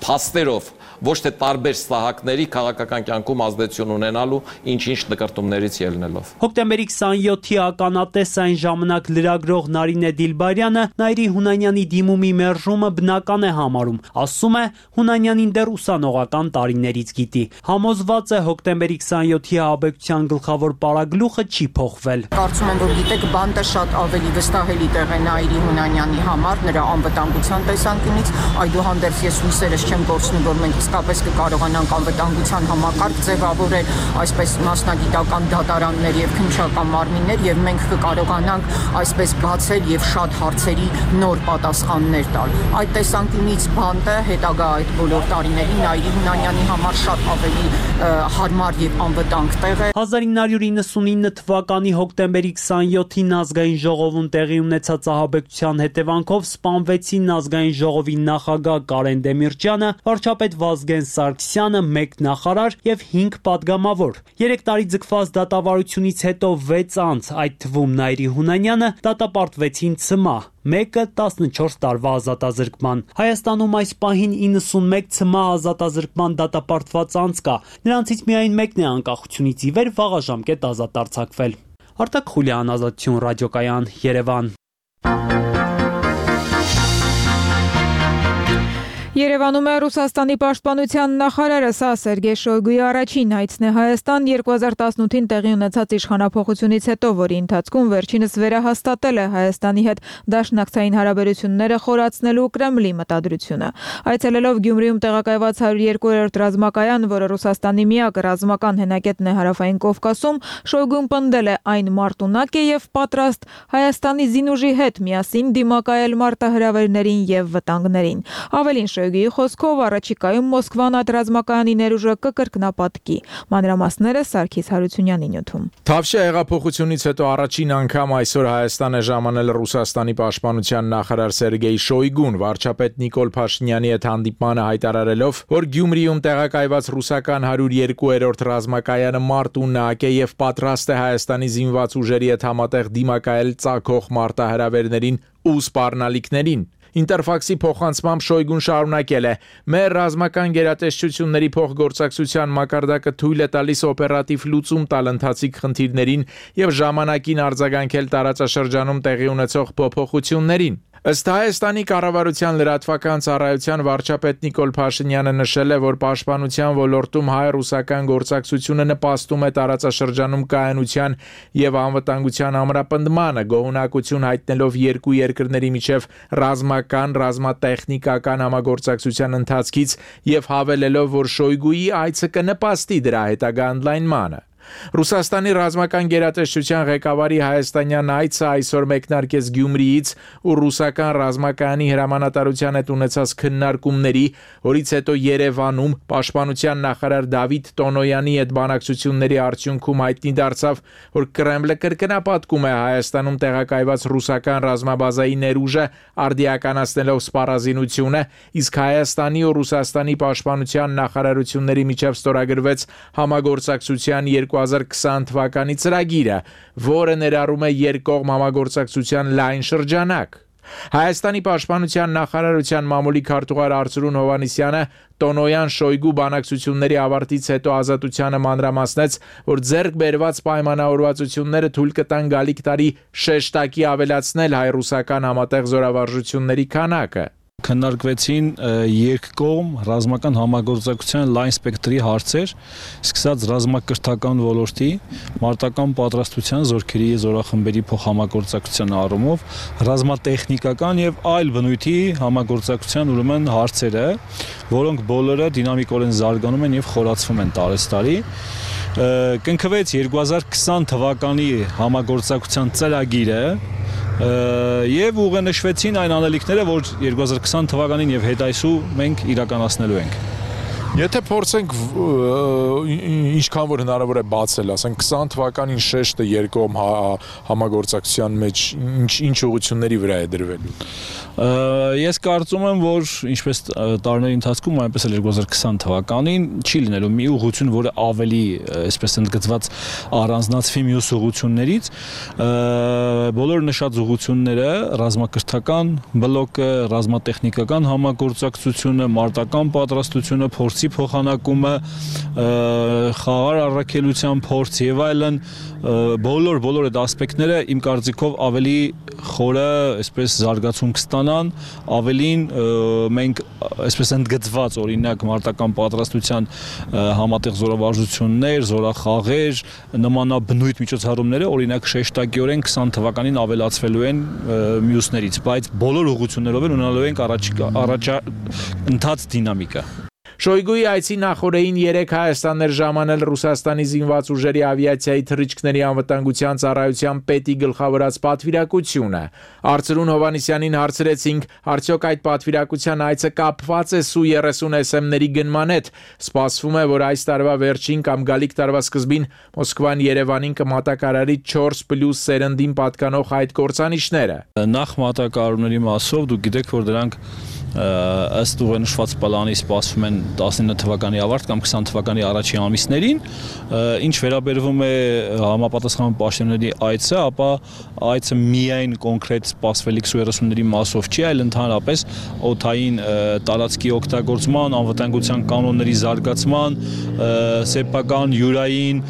[SPEAKER 20] փաստերով, ոչ թե տարբեր սահակների քաղաքական կյանքում ազդեցություն ունենալու ինչ-ինչ նկարտումներից ելնելով։
[SPEAKER 17] Հոկտեմբերի քսանյոթի ականատես այն ժամանակ լրագրող Նարինե Դիլբարյանը Նայիրի Հունանյանի դիմումի մերժումը բնական է համարում, ասում է Հունանյանին դեռ ուսանողական տարիներից գիտի։ Համոզված է հոկտեմբերի քսանյոթի ահաբեկչության գլխավոր պարագլուխը չի փոխվել։
[SPEAKER 21] Կարծում եմ, որ գիտեք, բանտը շատ ավելի վստահելի տեղ է Նայիրի Հունանյանի համար, նրա անվտանգության տեսանկյունից, այդուհանդերձ ես հույսերս չեմ կորցնում, որ մենք իսկապես կկարողանանք անվտանգության համակարգ ձևավորել, այսպես մասնագիտական դատարաններ եւ քննչական մարմիններ, եւ մենք կկարողանանք այսպես բացել եւ շատ հարցերի նոր պատասխաններ տալ։ Այդ տեսանկյունից բանտը հետագա այդ բոլոր տարիներին Նայիրի Հունանյանի համար շատ ավելի հարմար եւ անվտանգ տեղ է։
[SPEAKER 17] հազար ինը հարյուր իննսունինը թվականի հոկտեմբերի քսանյոթին ազգային ժողովում տեղի ունեցած ահաբեկչության հետևանքով սպանվեցին ազգային ժողովի նախագահ Կարեն Դեմիրճյանը, վարչապետ Վազգեն Սարգսյանը, մեկ նախարար եւ հինգ падգամավոր։ Երեք տարի ձգված դատավարությունից հետո վեց անց, այդ թվում Նայիրի Հունանյանը, դատապարտվեցին ցմահ, մեկը տասնչորս տարվա ազատազրկման։ Հայաստանում այս պահին իննսունմեկ ցմահ ազատազրկման դատապարտված անձ կա։ Նրանցից միայն մեկն է անկախությունից ի վեր վաղաժամկետ ազատ արձակվել։ Արտակ Խուլյան, Ազատություն ռադիոկայան, Երևան։
[SPEAKER 1] Երևանում է Ռուսաստանի պաշտպանության նախարարը, սա Սերգեյ Շոյգուի առաջին այցն է Հայաստան երկու հազար տասնութին տեղի ունեցած իշխանափոխությունից հետո, որի ընթացքում վերջինս վերահաստատել է Հայաստանի հետ դաշնակցային հարաբերությունները խորացնելու Կրեմլի մտադրությունը։ Այցելելով Գյումրիում տեղակայված հարյուր երկու-րդ ռազմակայան, որը Ռուսաստանի միակ ռազմական հենակետն է Հարավային Կովկասում, Շոյգուն պնդել է այն մարտունակ է եւ պատրաստ Հայաստանի զինուժի հետ միասին դիմակայել մարտահրավերներին եւ վտանգներին։ Ավելին Շոյգուի խոսքով առաջիկայում Մոսկվան այդ ռազմակայանի ներուժը կկրկնապատկի։ Մանրամասները Սարգիս Հարությունյանի նյութում։
[SPEAKER 22] Թավշյա հեղափոխությունից հետո առաջին անգամ այսօր Հայաստան է ժամանել Ռուսաստանի պաշտպանության նախարար Սերգեյ Շոյգուն, վարչապետ Նիկոլ Փաշինյանի հետ հանդիպմանը հայտարարելով, որ Գյումրիում տեղակայված ռուսական հարյուր երկու-րդ ռազմակայանը մարտունակ է եւ պատրաստ է Հայաստանի զինված ուժերի հետ համատեղ դիմակայել ծագող մարտահրավերներին ու սպառնալիքներին։ Ինտերֆաքսի փոխանցմամբ Շոյգուն շարունակել է. «Մեր ռազմական գերատեսչությունների փոխգործակցության մակարդակը թույլ է տալիս օպերատիվ լուծում տալ ընթացիկ խնդիրներին եւ ժամանակին արձագանքել տարածաշրջանում տեղի ունեցող փոփոխություններին»։ Ըստ Հայաստանի կառավարության լրատվական ծառայության վարչապետ Նիկոլ Փաշինյանը նշել է, որ պաշտպանության ոլորտում հայ-ռուսական գործակցությունը նպաստում է տարածաշրջանում կայունության եւ անվտանգության ամրապնդմանը, գոհունակություն հայտնելով երկու երկրների միջև ռազմական, ռազմատեխնիկական համագործակցության ընթացքից եւ հավելելով, որ Շոյգուի այցը կնպաստի դրա հետագա ընդլայնմանը։ Ռուսաստանի ռազմական գերատեսչության ղեկավարի հայաստանյան այցը այսօր մեկնարկեց Գյումրիից ու ռուսական ռազմակայանի հրամանատարության հետ ունեցած քննարկումների, որից հետո Երևանում պաշտպանության նախարար Դավիթ Տոնոյանի հետ բանակցությունների արդյունքում հայտնի դարձավ, որ Կրեմլը կրկնապատկում է Հայաստանում տեղակայված ռուսական ռազմաբազայի ներուժը արդիականացնելով սպառազինությունը, իսկ Հայաստանի ու Ռուսաստանի պաշտպանության նախարարությունների միջև ստորագրվեց համագործակցության երկու հազար քսան թվականի ծրագիրը, որը ներառում է երկկողմ համագործակցության լայն շրջանակ։ Հայաստանի պաշտպանության նախարարության մամուլի քարտուղար Արծրուն Հովհաննիսյանը Տոնոյան Շոյգու բանակցությունների ավարտից հետո Ազատությանը մանրամասնեց, որ ձեռք բերված պայմանավորվածությունները թույլ կտան գալիք տարի շեշտակի ավելացնել հայ-ռուսական համատեղ զորավարժությունների քանակը։
[SPEAKER 23] Քննարկվեցին երկկողմ ռազմական համագործակցության լայն սպեկտրի հարցեր, սկսած ռազմակրթական ոլորտի, մարտական պատրաստության, զորքերի զորախմբերի փոխհամագործակցության առումով, ռազմատեխնիկական եւ այլ բնույթի համագործակցության ուրեմն հարցերը, որոնք բոլորը դինամիկորեն զարգանում են եւ խորացվում են տարեստարի։ Կնքվեց երկու հազար քսան թվականի համագործակցության ծրագիրը եւ ուղենշվեցին այն անելիքները, որ երկու հազար քսան թվականին եւ հետ այսու մենք իրականացնելու ենք։
[SPEAKER 22] Եթե փորձենք ինչքան որ հնարավոր է բացել, ասենք քսան թվականին շեշտը երկկողմ համագործակցության մեջ ինչ ինչ ուղղությունների վրա է դրվելու։
[SPEAKER 23] Ես կարծում եմ, որ ինչպես տարիների ընթացքում, այնպես էլ երկու հազար քսան թվականին չի լինելու մի ուղղություն, որը ավելի, այսպես ընդգծված, առանձնացվի մյուս ուղղություններից։ Բոլոր նշած ուղղությունները ռազմակրթական բլոկը, ռազմատեխնիկական համագործակցությունը, մարտական պատրաստությունը, փորձի փոխանակումը, խաղաղ առաքելության փորձ եւ այլն, բոլոր բոլոր այդ ասպեկտները իմ կարծիքով ավելի խորը, այսպես զարգացում կստանան, ավելին մենք այսպես ընդգծված օրինակ մարտական պատրաստության համատեղ զորավարժություններ, զորախաղեր, նմանաբնույթ միջոցառումները օրինակ շեշտակիորեն քսան թվականին ավելացվելու են մյուսներից, բայց բոլոր ուղղություններով են ունենալու ենք առաջ ընթաց դինամիկա։
[SPEAKER 22] Շոյգուի այցի նախորդին երեք Հայաստան էր ժամանել Ռուսաստանի զինված ուժերի ավիացիայի թռիչքների անվտանգության ծառայության պետի գլխավորած պատվիրակությունը։ Արծրուն Հովանեսյանին հարցրեցինք, արդյոք այդ պատվիրակության այցը կապված է Սու երեսուն էս էմ-ների գնման հետ։ Սպասվում է, որ այս տարվա վերջին կամ գալիք տարվա սկզբին Մոսկվան Երևանին կմատակարարի չորս պլյուս սերնդին պատկանող այդ կործանիչները։
[SPEAKER 23] Նախ մատակարարումների մասով դուք գիտեք, որ դրանք ըստ ուղենշված պլանի սպասվում են տասնինը թվականի ավարտ կամ քսան թվականի առաջին ամիսներին, ինչ վերաբերվում է համապատասխան պաշտոնների այցը, ապա այցը միայն կոնկրետ սպասվելիք Սու երեսունների մասով չի, այլ ընդհանրապես օդային տարածքի օգտագործման, անվտանգության կանոնների զարգացման, սեփական յուրային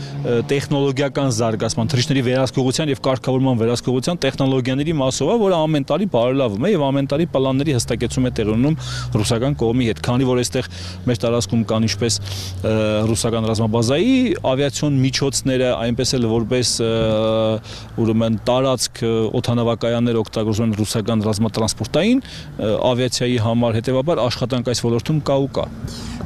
[SPEAKER 23] տեխնոլոգիական զարգացման, թռիչքների վերահսկողության եւ կարգավորման վերահսկողության տեխնոլոգիաների մասով է, որը ամեն տարի բարելավում է եւ ամեն տարի պլանների հստակեցում է տեղի ունենում ռուսական կողմի հետ, քանի որ այստեղ մեր տարածքում կան ինչպես ռուսական ռազմաբազայի ավիացիոն միջոցները, այնպես էլ որպես ուրեմն տարածք օդանավակայաններ օգտագործում են ռուսական ռազմատրանսպորտային ավիացիայի համար, հետեւաբար աշխատանք այս ոլորտում կա ու կա։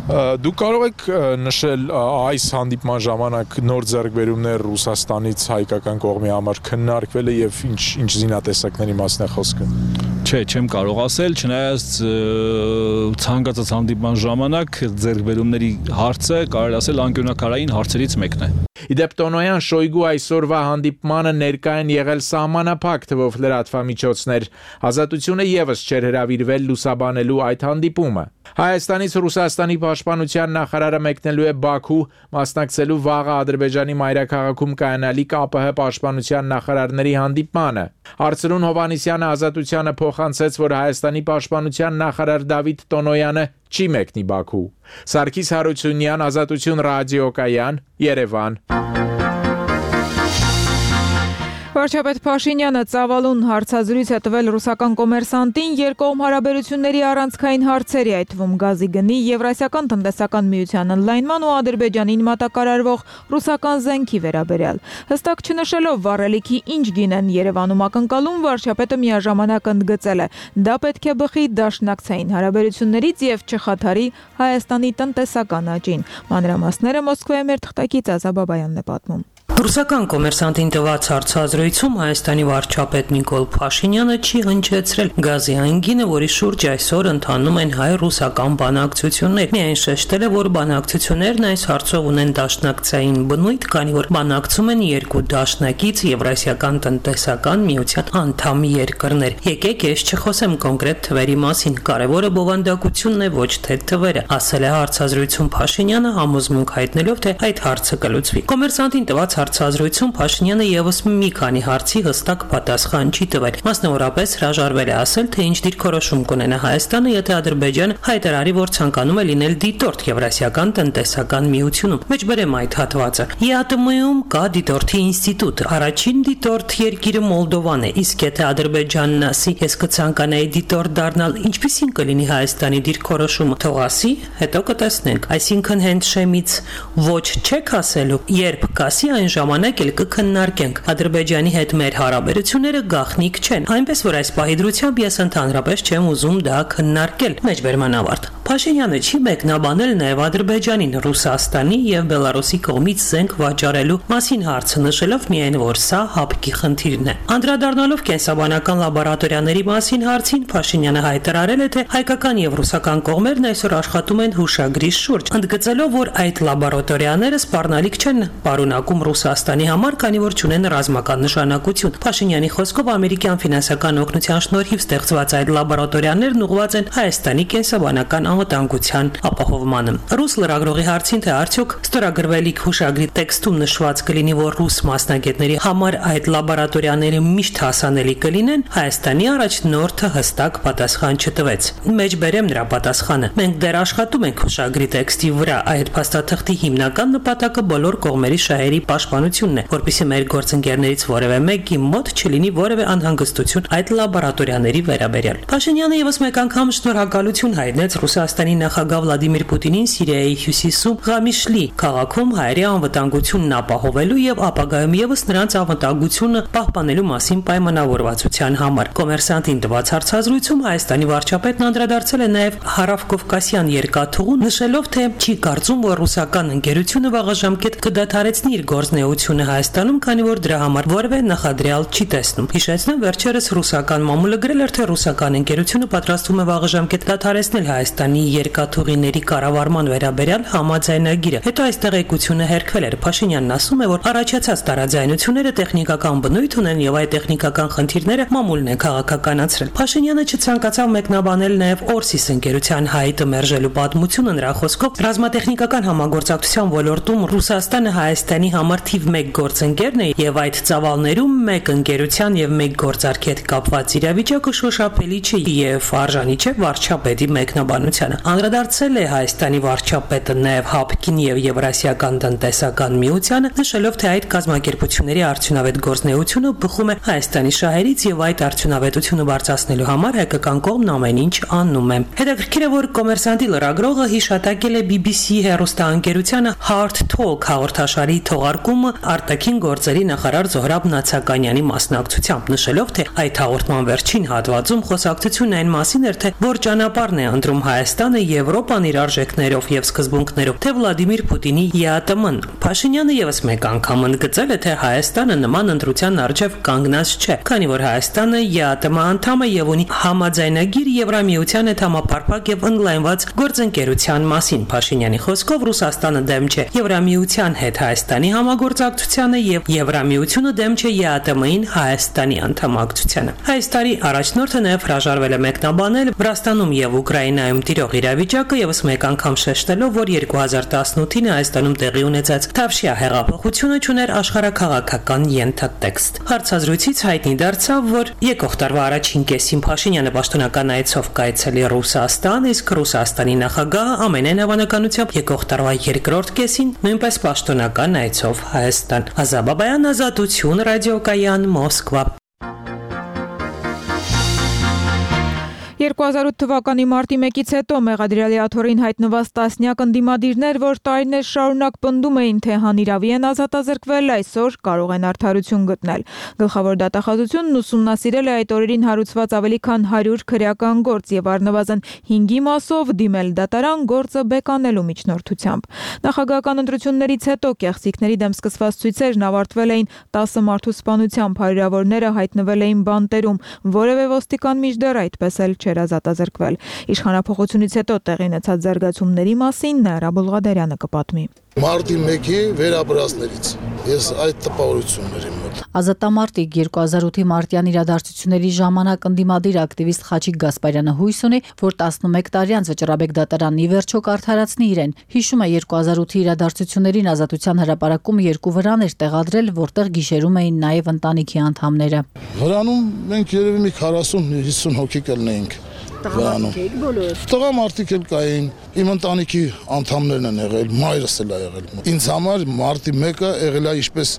[SPEAKER 22] Դուք կարող եք նշել այս հանդիպման ժամանակ նոր ձեռքբերումներ Ռուսաստանից հայկական կողմի համար քննարկվել է եւ ինչ ինչ զինատեսակների մասն է խոսքը։
[SPEAKER 23] Չէ, չեմ կարող ասել, չնայած ցանկացած հանդիպման ժամանակ ձեռքբերումների հարցը կարելի ասել անկյունաքարային հարցերից մեկն է։
[SPEAKER 22] Իդեպ Տոնոյան Շոյգու այսօրվա հանդիպմանը ներկա են եղել սահմանափակ թվով լրատվամիջոցներ։ Ազատությունը եւս չէր հրավիրվել լուսաբանելու այդ հանդիպումը։ Հայաստանից Ռուսաստանի պաշտպանության նախարարը մեկնելու է Բաքու, մասնակցելու վաղը Ադրբեջանի մայրաքաղաքում կայանալիք ԱՊՀ պաշտպանության նախարարների հանդիպմանը։ Արծրուն Հովանեսյանը Ազատությանը փոխանցեց, որ Հայաստանի պաշտպանության նախարար Դավիթ Տոնոյանը չի մեկնի Բաքու։ Սարգիս Հարությունյան, Ազատություն ռադիոկայան, Երևան։
[SPEAKER 1] Վարչապետ Փաշինյանը ծավալուն հարցազրույց է տվել ռուսական կոմերսանտին երկկողմ հարաբերությունների առանցքային հարցերի, այդ թվում գազի գնի, Եվրասիական տնտեսական միության ընդլայնման ու Ադրբեջանին մատակարարվող ռուսական զենքի վերաբերյալ։ Հստակ չնշելով վառելիքի ինչ գին են Երևանում ակնկալում, վարչապետը միաժամանակ ընդգծել է, դա պետք է բխի դաշնակցային հարաբերություններից եւ չխաթարի Հայաստանի տնտեսական աճին։ Մանրամասները Մոսկվայում մեր թղթակից Ազա Բաբայանն է պատմում։
[SPEAKER 2] Ռուսական կոմերսանտին տված հարցազրույցում Հայաստանի վարչապետ Նիկոլ Փաշինյանը չի հնչեցրել գազի այն գինը, որի շուրջ այսօր ընթանում են հայ-ռուսական բանակցություններ։ Միայն շեշտել է, որ բանակցություններն այս հարցով ունեն դաշնակցային բնույթ, քանի որ բանակցում են երկու դաշնակից Եվրասիական տնտեսական միության անդամ երկրներ։ Եկեք ես չխոսեմ կոնկրետ թվերի մասին, կարևորը բովանդակությունն է, ոչ թե թվերը, ասել է հարցազրույցում Փաշինյանը, համոզմունք հայտնելով, թե այդ հարցը կլուծվի։ Կոմերսանտին տված հարցազրույցում Փաշինյանը եւս մի քանի հարցի հստակ պատասխան չի տվել։ Մասնավորապես հրաժարվել է ասել, թե ինչ դիրքորոշում կունենա Հայաստանը, եթե Ադրբեջանը հայտարարի, որ ցանկանում է լինել դիտորդ Եվրասիական տնտեսական միությունում։ Մեջբերեմ այդ հատվածը։ ԵԱՏՄ-ում կա դիտորդի ինստիտուտ։ Առաջին դիտորդ երկիրը Մոլդովան է, իսկ եթե Ադրբեջանն ասի, ես կցանկանայի դիտորդ դառնալ, ինչպիսին կլինի Հայաստանի դիրքորոշումը, թող ասի, հետո կտեսնենք։ Այսինքն հենց շեմից ոչ չեք ասելու, երբ կասի այն ժամանակ էլ կքննարկենք։ Ադրբեջանի հետ մեր հարաբերությունները գաղտնիք չեն, այնպես որ այս պահի դրությամբ ես ընդհանրապես չեմ ուզում դա քննարկել։ Մեջբերման ավարտ։ Փաշինյանը չի մեկնաբանել նաև Ադրբեջանին Ռուսաստանի եւ Բելարուսի կողմից զենք վաճառելու մասին հարցը, նշելով միայն, որ սա հապկի խնդիրն է։ Անդրադառնալով կենսաբանական լաբորատորիաների մասին հարցին, Փաշինյանը հայտարարել է, թե հայկական եւ ռուսական կողմերն այսօր աշխատում են հուշագրի շուրջ, ընդգծելով, որ այդ լաբորատորիաները սպառնալիք չեն պարունակում Ռուսաստանի համար, քանի որ չունեն ռազմական նշանակություն։ Փաշինյանի խոսքով ամերիկյան ֆինանսական օգնության շնորհիվ ստեղծված այդ լաբորատորիաներն ուղղված են Հայաստանի կենսաբանական անվտանգության ապահովմանը։ Ռուս լրագրողի հարցին, թե արդյոք ստորագրվելիք հուշագրի տեքստում նշված կլինի, որ ռուս մասնագետների համար այդ լաբորատորիաները միշտ հասանելի կլինեն, Հայաստանի առաջնորդը հստակ պատասխան չտվեց։ Մեջբերեմ նրա պատասխանը։ Մենք դեռ աշխատում ենք հուշագրի տեքստի վրա, այդ փաստաթղթի հիմնական նպատակը բոլոր կողմերի շահերի պաշտպանությունն է, որպեսզի մեր գործընկերներից որևէ մեկի մոտ չլինի որևէ անհանգստություն այդ լաբորատորիաների վերաբերյալ։ Փաշինյանը եւս մեկ անգամ շնորհակալություն հայտնեց Ռուսաստանի նախագահ Վլադիմիր Պուտինին Սիրիայի հյուսիսում Ղամիշլի քաղաքում հայերի անվտանգությունն ապահովելու եւ ապագայում եւս նրանց անվտանգությունը պահպանելու մասին պայմանավորվածության համար։ Կոմերսանտին տված հարցազրույցում Հայաստանի վարչապետն անդրադարձել է նաեւ Հարավկովկասյան երկաթուղուն, նշելով, թե չի կարծում, որ ռուսական ընկերությունը վաղաժամկետ կդադարեցնի իր գործունեությունը Հայաստանում, քանի որ դրա համար որևէ նախադրյալ չի տեսնում։ Հիշեցնեմ, վերջերս ռուսական մամուլը գրել էր, թե ռուսական ընկերությունը պատրաստվում է վաղաժամկետ դադարեցնել Հայաստանի երկաթուղիների կառավարման վերաբերյալ համաձայնագիրը։ Հետո այս տեղեկությունը հերքվել էր։ Փաշինյանն ասում է, որ առաջացած տարաձայնությունները տեխնիկական բնույթ ունեն եւ այդ տեխնիկական խնդիրները մամուլն է քաղաքականացրել։ Փաշինյանը չցանկացավ մեկնաբանել նաեւ Օրսիս ընկերության հայտը մերժելու պատմությունը, նրա խոսքով ռազմատեխնիկական համագործակցության ոլորտում Ռուսաստանը Հայաստանի համար թիվ մեկ գործընկերն է եւ այդ ծավալներում մեկ ընկերության եւ մեկ գործարքի հետ կապված իրավիճակը շոշափելի չէ եւ արժանի չէ վարչապետի մեկնաբանությանը։ Անդրադարձել է Հայաստանի վարչապետը նաև ՀԱՊԿ-ին եւ Եվրասիական տնտեսական միությանը, նշելով, թե այդ կազմակերպությունների արդյունավետ գործունեությունը բխում է Հայաստանի շահերից եւ այդ արդյունավետությունը բարձրացնելու համար հայկական կողմն ամեն ինչ անում է։ Հետաքրքիր է, որ Կոմերսանտի լրագրողը հիշատակել է բի բի սի հեռուստաընկերությանը Hard Talk հաղորդաշարի թողարկումը արտաքին գործերի նախարար Զոհրաբ Նացականյանի մասնակցությամբ, նշելով, թե այդ հաղորդման վերջին հատվածում խոսակցությունն այն մասին էր, թե որ ճանապարհն է ընտրում Հայաստանը Եվրոպան իր արժեքներով եւ սկզբունքներով, թե Վլադիմիր Պուտինի ԵԱՏՄ-ն։ Փաշինյանը եւս մեկ անգամ ընդգծել է, թե Հայաստանը նման ընտրության առջև կանգնած չէ, քանի որ Հայաստանը ԵԱՏՄ անդամ է եւ ունի համաձայնագիր Եվրամիության հետ համապարփակ եւ ընդլայնված գործընկերության մասին։ Փաշինյանի խոսքով Ռուսաստանը դեմ չէ Եվրամիության հետ Հայաստանի համագործակցությանը եւ Եվրամիությունը դեմ չէ ԵԱՏՄ-ին Հայաստանի անդամակցությանը։ Այս տարի առաջնորդը նաեւ հրաժարվել է մեկնաբանել Վրաստանում եւ Ուկրաինայում տիրող իրավիճակը եւս մեկ անգամ շեշտելով, որ երկու հազար տասնութին Հայաստանում տեղի ունեցած Թավշյա հեղափոխությունը չուներ աշխարհաքաղաքական ենթատեքստ։ Հարցազրույցից հայտնի դարձավ, որ եկող տարվա առաջին կեսին Փաշինյանը պաշտոնական այցով կայցելի Ռուսաստան, իսկ Ռուսաստանի նախագահը ամենայն հավանականությամբ եկող տարվա երկրորդ կեսին նույնպես պաշտոնական այցով Հայաստան։ Ազաբաբայան, Ազատություն, ռադիոկայան, Մոսկվա։
[SPEAKER 1] երկու հազար ութ թվականի մարտի մեկից հետո մեղադրյալի աթոռին հայտնված տասնյակ ընդդիմադիրներ, որ տարիներ շարունակ պնդում էին, թե հանիրավի են ազատազրկվել, այսօր կարող են արդարություն գտնել։ Գլխավոր դատախազությունն ուսումնասիրել է այդ օրերին հարուցված ավելի քան հարյուր քրեական գործ եւ առնվազն հինգի մասով դիմել դատարան գործը բեկանելու միջնորդությամբ։ Նախագահական ընտրություններից հետո կեղծիքների դեմ սկսված ցույցերն ավարտվել էին տասը մարդու սպանությամբ, հարյուրավորները հայտնվել էին բանտերում, որևէ ոստիկան մինչդեռ այդպես էլ չէր ազատազրկվել։ Իշխանափոխությունից հետո տեղի ունեցած զարգացումների մասին Նաիրա Բուլղադարյանը կպատմի։
[SPEAKER 4] Մարտի մեկի վերաբրածներից ես այդ տպավորությունն էր իմ մոտ։
[SPEAKER 5] Ազատամարտիկ երկու հազար ութի մարտյան իրադարձությունների ժամանակ ընդդիմադիր ակտիվիստ Խաչիկ Գասպարյանը հույս ունի, որ տասնմեկ տարի անց Վճռաբեկ դատարանն ի վերջո կարդարացնի իրեն։ Հիշում է երկու հազար ութի իրադարձություններին Ազատության հրապարակում երկու վրան էր տեղադրել, որտեղ գիշերում էին նաև ընտանիքի անդամները։
[SPEAKER 4] Վրանում մենք երևի մի քառասուն հիսուն հոգի կլինեինք։ վերանում։ Տղամարդիկ էլ կային, իմ ընտանիքի անդամներն են եղել, մայրս էլ է եղել։ Ինձ համար մարտի մեկը եղել է ինչպես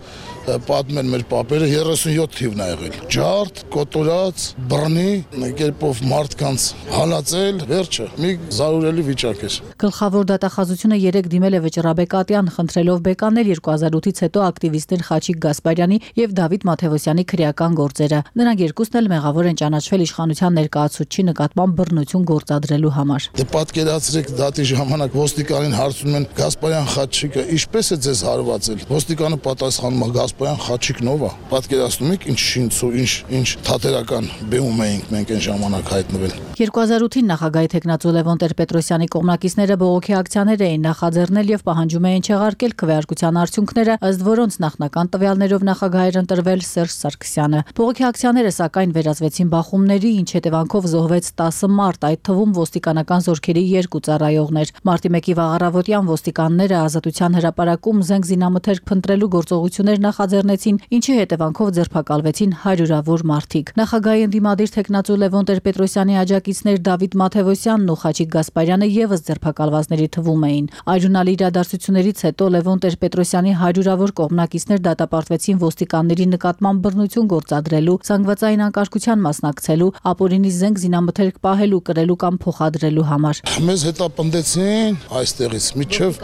[SPEAKER 4] պատմեն մեր պապերը երեսունյոթ թիվն է եղել։ Ջարդ, կոտորած, բռնի, կերպով մարդկանց հալածել, վերջը մի զարուրելի վիճակ էր։
[SPEAKER 5] Գլխավոր դատախազությունը երեք դիմել է Վճռաբեկ Ատյան, խնդրելով բեկանել երկու հազար ութից հետո ակտիվիստներ Խաչիկ Գասպարյանի եւ Դավիթ Մաթեոսյանի քրեական գործերը։ Նրանք երկուսն էլ մեղավոր են ճանաչվել իշխանության ներկայացուցչի նկատմամբ բռնություն գործադրելու համար։
[SPEAKER 4] Դե պատկերացրեք դատի ժամանակ ոստիկանին հարցնում են Գասպարյան Խաչիկը ինչպես է ձեզ հարվածել։ Ոստիկանը պատասխանում է Գասպարյան Խաչիկն ով է։ Պատկերացնում եք ինչ շինցու, ինչ ինչ թատերական բեմում էինք մենք այն ժամանակ հայտնվել։
[SPEAKER 5] երկու հազար ութին նախագահի թեկնածու Լևոն Տեր-Պետրոսյանի կողմնակիցները բողոքի ակցիաներ էին նախաձեռնել եւ պահանջում էին չեղարկել քվեարկության արդյունքները, ըստ որոնց նախնական տվյալներով նախագահ էր ընտրվել Սերժ Սարգսյանը։ Բողոքի ակցիաները սակայն վերածվեցին բախումների, ինչ հետևանքով զոհվեց տասը մարդ, այդ թվում ոստիկանական զորքերի երկու ծառայողներ։ Մարտի մեկի վաղառավոտյան ոստիկանները Ազատության հրապարակում զենք զինամթերք փնտրելու գործողություններ նախաձեռնեցին, ինչի հետևանքով ձերբակալվեցին հարյուրավոր մարդիկ։ Նախագահի ընդդիմադիր թեկնածու Լևոն Տեր-Պետրոսյանի աջակիցներ Դավիթ Մաթեոսյանն ու Խաչիկ Գասպարյանը եւս ձերբակալվածների թվում էին։ Այրունալի իրադարձություններից հետո Լևոն Տեր-Պետրոսյանի հարյուրավոր կողմնակիցներ դատապարտվեցին ոստիկանների նկատմամբ բռնություն գործադրելու, զանգվածային անկարգության մասնակցելու, ապօրինի զենք զինամթերք պահելու, կրելու կամ փոխադրելու համար։
[SPEAKER 4] Մեզ հետապնդեցին այստեղից միջև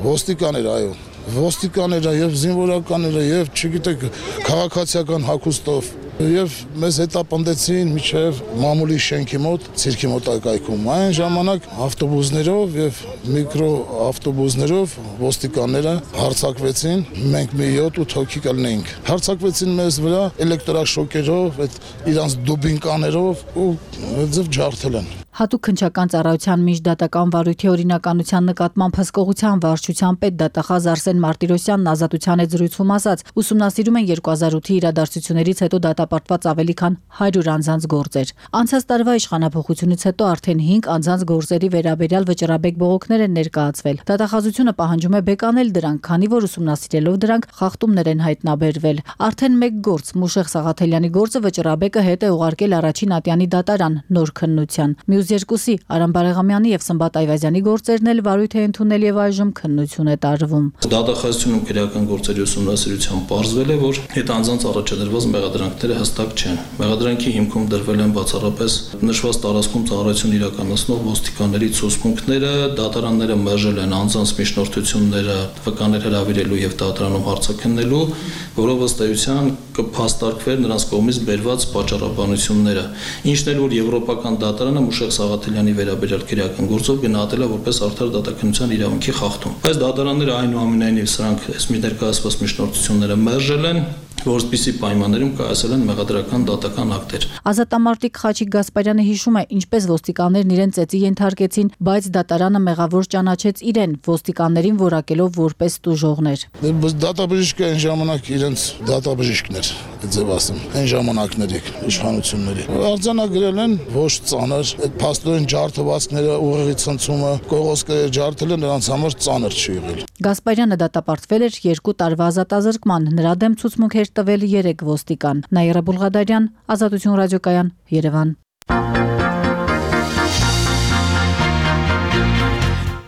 [SPEAKER 4] ոստիկաներ, այո, ոստիկաները եւ զինվորականները եւ չգիտեք քաղաքացիական հագուստով եւ մեզ հետապնդեցին միջև մամուլի շենքի մոտ, ցիրկի մոտ այգայքում։ Այն ժամանակ ավտոբուսներով եւ միկրո ավտոբուսներով ոստիկանները հարձակվեցին, մենք մի յոթ-ութ հոգի կլինեինք։ Հարձակվեցին մեզ վրա էլեկտրաշոկերով, այդ իրանց դուբինկաներով ու ձև ջարդել են։
[SPEAKER 5] Հատուկ քննչական ծառայության միջդատական վարույթի օրինականության նկատմամբ հսկողության վարչության պետ դատախազ Արսեն Մարտիրոսյանն Ազատության հետ զրույցում ասաց, ուսումնասիրում են երկու հազար ութի իրադարձություններից հետո դատապարտված ավելի քան հարյուր անձանց գործեր։ Անցած տարվա իշխանափոխությունից հետո արդեն հինգ անձանց գործերի վերաբերյալ Վճռաբեկ բողոքներ են ներկայացվել։ Դատախազությունը պահանջում է բեկանել դրանք, քանի որ ուսումնասիրելով դրանք խախտումներ են հայտնաբերվել։ Արդեն մեկ գործ Մուշեղ Սաղաթելյանի գործը Վճռաբեկը հետ է ուղարկել առաջին ատյանի դատարան նոր քննության։ Երկուսի Արամ Բարեղամյանի եւ Սմբատ Այվազյանի գործերն էլ վարույթ է ընդունել եւ այժմ քննություն է տարվում։
[SPEAKER 18] Դատախազությունում քրեական գործերի ուսումնասիրությամբ պարզվել է, որ հետանձանց առաջադրված մեղադրանքները հստակ չեն։ Մեղադրանքի հիմքում դրվել են բացառապես նշված տարածքում ծառայություն իրականացնող ոստիկանների ցուցմունքները, դատարանները մերժել են անձանց միջնորդությունները վկաներ հրավիրելու եւ դատարանում հարցաքննելու, որով ըստ էության կփաստարկվեր նրանց կողմից բերված պատճառաբանությունները։ Ինչն էլ որ եվրոպական դատարանը Մուշեղ Սաղաթելյանի վերաբերյալ քրեական գործով գնահատել է որպես արդար դատաքննության իրավունքի խախտում։ Բայց դատարանները այնուամենայնիվ սրանք այս մի ներկայացված միջնորդությունները մերժել են, որպեսզի պայմաններում կայացել են մեղադրական դատական ակտեր։
[SPEAKER 5] Ազատամարտիկ Խաչիկ Գասպարյանը հիշում է, ինչպես ոստիկաններն իրեն ծեծի ենթարկեցին, բայց դատարանը մեղավոր ճանաչեց իրեն, ոստիկաններին որակելով որպես տուժողներ։
[SPEAKER 4] Դատաբժիշկը այն ժամանակ իրենց դատաբժիշկն էր, ձև ասեմ, այն ժամանակների իշխանությունների։ Արձանագրել են ոչ ծանր, այդ փաստորեն ջարդվածքները, ուղեղի ցնցումը, կողոսկերը ջարդել են, նրանց համար ծանր չի եղել։
[SPEAKER 5] Գասպարյանը դատապարտվել էր երկու տարվա ազատազրկման, նրա դեմ ցուցմունք էր տվել երեք ոստիկան։ Նաիրա Բուլղադարյան, Ազատություն ռադիոկայան, Երևան։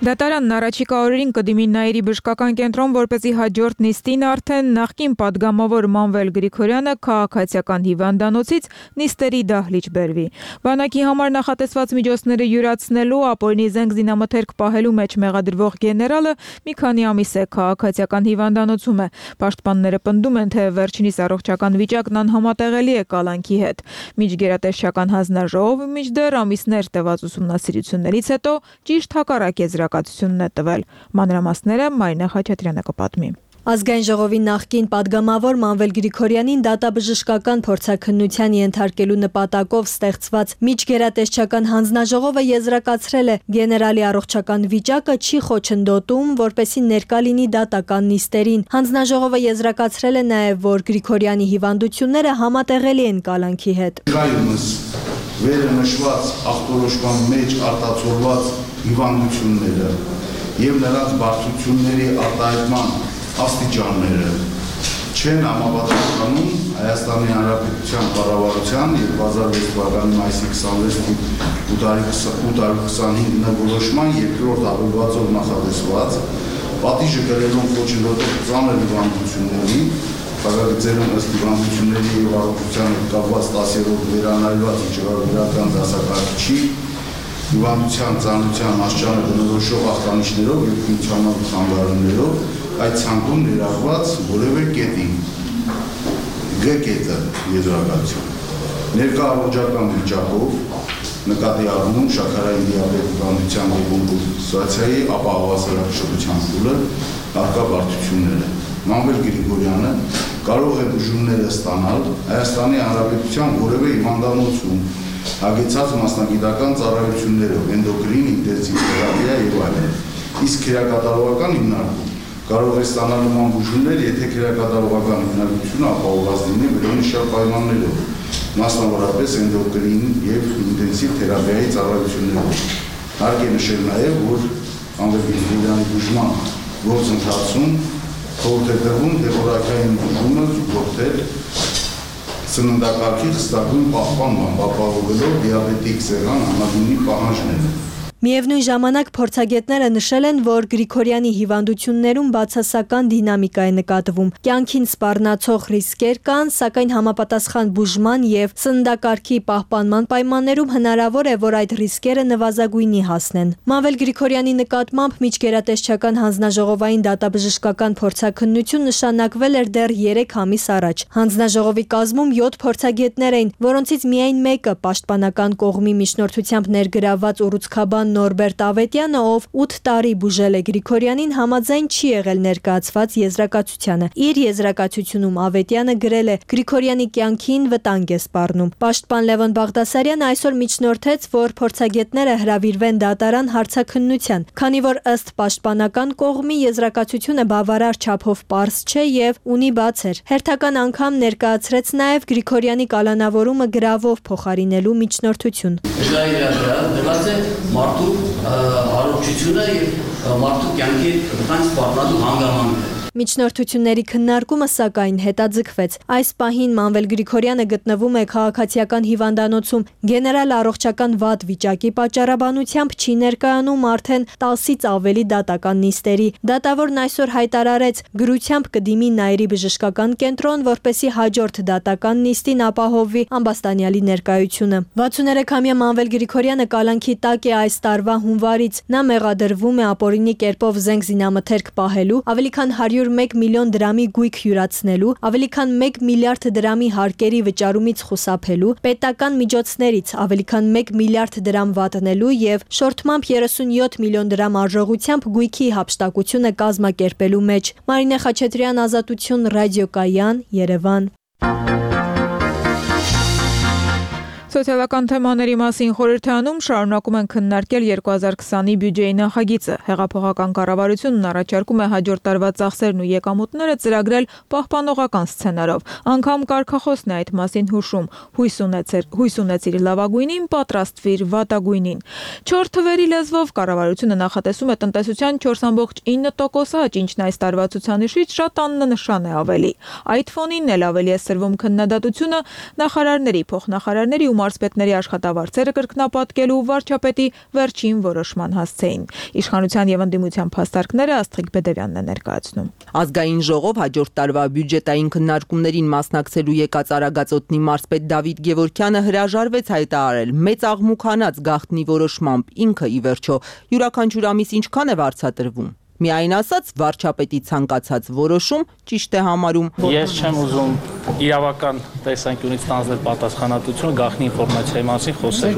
[SPEAKER 1] Դատարանն առաջիկա օրերին կդիմի Նաիրի բժշկական կենտրոն, որպեսզի հաջորդ նիստին արդեն նախկին падգամավոր Մանվել Գրիգորյանը քաղաքացիական հիվանդանոցից նիստերի դահլիճ բերվի։ Բանակի համար նախատեսված միջոցները յուրացնելու, ապօրինի զենք զինամթերք պահելու մեջ մեղադրվող գեներալը մի քանի ամիս է քաղաքացիական հիվանդանոցում է։ Պաշտպանները պնդում են, թե վերջինիս առողջական վիճակն անհամատեղելի է կալանքի հետ։ Միջգերատեսչական հանձնաժողովը մինչդեռ ամիսներ տևած ուսումնասիրություններից հետո ճիշտ հակառակ եզրակացությունն է տվել։ Մանրամասները Մարինա Խաչատրյանը կպատմի։
[SPEAKER 6] Ազգային ժողովի նախկին падգամավոր Մանվել Գրիգորյանին դատաբժշկական փորձաքննության ենթարկելու նպատակով ստեղծված միջգերատեսչական հանձնաժողովը եզրակացրել է գեներալի առողջական վիճակը չի խոչընդոտում, որպեսզի ներկա լինի դատական նիստերին։ Հանձնաժողովը եզրակացրել է նաև, որ Գրիգորյանի հիվանդությունները համատեղելի են կալանքի հետ։
[SPEAKER 7] Վերը նշված ախտորոշման մեջ արտացոլված հիվանդությունները եւ նրանց բարդությունների արտահայտման աստիճանները չեն համապատասխանում Հայաստանի Հանրապետության կառավարության երկու հազար վեց թվականի մայիսի քսանվեցին ու տարի քսանհինգ որոշման երկրորդ հավելվածով նախատեսված պատիժը կրելով խոչընդոտող ծանր հիվանդությունների, խաղաղությունների ըստ հիվանդությունների և առողջության հետ կապված տասերորդ վերանայված վիճակագրական դասակարգչի հիվանդության ծանրության աստիճանը բնորոշող ախտանիշներով և ֆունկցիոնալ խանգարումներով այդ ցանկում ներառված որևէ կետի Գ կետը եզրակացություն ներկա առողջական վիճակով նկատի առնում շաքարային դիաբետ հիվանդության դեկոմպոզիցիայի, ապա հավասարակշռության փուլը, առկա բարդությունները։ Մանվել Գրիգորյանը կարող է բուժումները ստանալ Հայաստանի Հանրապետության որևէ հիվանդանոցում հագեցած մասնագիտական ծառայություններով, էնդոկրին, ինտենսիվ թերապիա եւ այլն։ Իսկ քրեակատարողական հիմնարկում կարող է ստանալ նման բուժումներ, եթե քրեակատարողական հիմնարկությունը ապահովված լինի վերոնշյալ պայմաններով, մասնավորապես էնդոկրին եւ ինտենսիվ թերապիայի ծառայություններով։ Հարկ է նշել նաեւ, որ Մանվել Գրիգորյանի բուժման գործընթացում խորհուրդ է տրվում դեպորակային բուժումը զուգորդել սննդակարգի խստագույն պահպանման, ապահովելով դիաբետիկ սեղան համագույնի պահանջները։
[SPEAKER 6] Միևնույն ժամանակ փորձագետները նշել են, որ Գրիգորյանի հիվանդություններում բացասական դինամիկա է նկատվում։ Կյանքին սպառնացող ռիսկեր կան, սակայն համապատասխան բուժման եւ սննդակարգի պահպանման պայմաններում հնարավոր է, որ այդ ռիսկերը նվազագույնի հասնեն։ Մանվել Գրիգորյանի նկատմամբ միջգերատեսչական հանձնաժողովային դատաբժշկական փորձաքննություն նշանակվել էր դեռ երեք ամիս առաջ։ Հանձնաժողովի կազմում յոթ փորձագետներ էին, որոնցից միայն մեկը պաշտպանական կողմի միջնորդությամբ ներգրավված ուռուցքաբան Նորբերտ Ավետյանը, ով ութ տարի բուժել է Գրիգորյանին, համաձայն չի եղել ներկայացված եզրակացությանը։ Իր եզրակացությունում Ավետյանը գրել է. Գրիգորյանի կյանքին վտանգ է սպառնում։ Պաշտպան Լևոն Բաղդասարյանը այսօր միջնորդեց, որ փորձագետները հրավիրվեն դատարան հարցաքննության, քանի որ ըստ պաշտպանական կողմի եզրակացությունը բավարար չափով պարզ չէ եւ ունի բացեր։ Հերթական անգամ ներկայացրեց նաեւ Գրիգորյանի կալանավորումը գրավով փոխարինելու միջնորդություն։
[SPEAKER 3] Մարդու առողջությունը եւ մարդու կյանքի վտանգ սպառնալու հանգամանքը։
[SPEAKER 6] Միջնորդությունների քննարկումը սակայն հետաձգվեց։ Այս պահին Մանվել Գրիգորյանը գտնվում է քաղաքացիական հիվանդանոցում, գեներալ առողջական վատ վիճակի պատճառաբանությամբ չի ներկայանում արդեն տասից ավելի դատական նիստերի։ Դատավորն այսօր հայտարարեց, գրությամբ կդիմի Նաիրի բժշկական կենտրոն, որպեսզի հաջորդ դատական նիստին ապահովվի ամբաստանյալի ներկայությունը։ վաթսուներեքամյա Մանվել Գրիգորյանը կալանքի տակ է այս տարվա հունվարից։ Նա մեղադրվում է ապօրինի կերպով զենք զինամթերք պահելու, ավելի քան հարյուր մեկ միլիոն դրամի գույք յուրացնելու, ավելի քան մեկ միլիարդ դրամի հարկերի վճարումից խուսափելու, պետական միջոցներից ավելի քան մեկ միլիարդ դրամ վատնելու եւ շորթմամբ երեսունյոթ միլիոն դրամ արժողությամբ գույքի հափշտակությունը կազմակերպելու մեջ։ Մարինե Խաչատրյան, Ազատություն, Ռադիոկայան, Երևան։
[SPEAKER 1] Սոցիալական թեմաների մասին խորհրդանում շարունակում են քննարկել երկու հազար քսանի բյուջեի նախագիծը։ Հեղափոխական կառավարությունն առաջարկում է հաջորդ տարվա ծախսերն ու եկամուտները ծրագրել պահպանողական սցենարով։ Անգամ կարգախոսն է այդ մասին հուշում. հույս ունեցեր, հույս ունեցիր լավագույնին, պատրաստվիր վատագույնին։ Չորս թվերի լեզվով կառավարությունը նախատեսում է տնտեսության չորս կόμμα ինը տոկոս աճ, ինչն այս տարվա ցուցանիշից շատ աննշան է ավելի։ Այդ ֆոնին էլ ավելի է սրվում քննադատությունը նախարարների, փոխնախարարների ու մարզպետների աշխատավարձերը կրկնապատկելու վարչապետի վերջին որոշման հասցեին։ Իշխանության եւ ընդդիմության փաստարկները Աստղիկ Բեդևյանն է ներկայացնում։
[SPEAKER 8] Ազգային ժողով հաջորդ տարվա բյուջետային քննարկումներին մասնակցելու եկած Արագածոտնի մարզպետ Դավիթ Գևորգյանը հրաժարվեց հայտարարել մեծ աղմուկանաց գաղտնի որոշմամբ ինքը ի վերջո յուրաքանչյուր ամիս ինչքան է վարձատրվում։ Միայն ասած վարչապետի ցանկացած որոշում ճիշտ է համարում։
[SPEAKER 12] Ես չեմ ուզում իրավական տեսանկյունից ստանձնել պատասխանատվությունը գաղտնի ինֆորմացիայի մասին խոսել։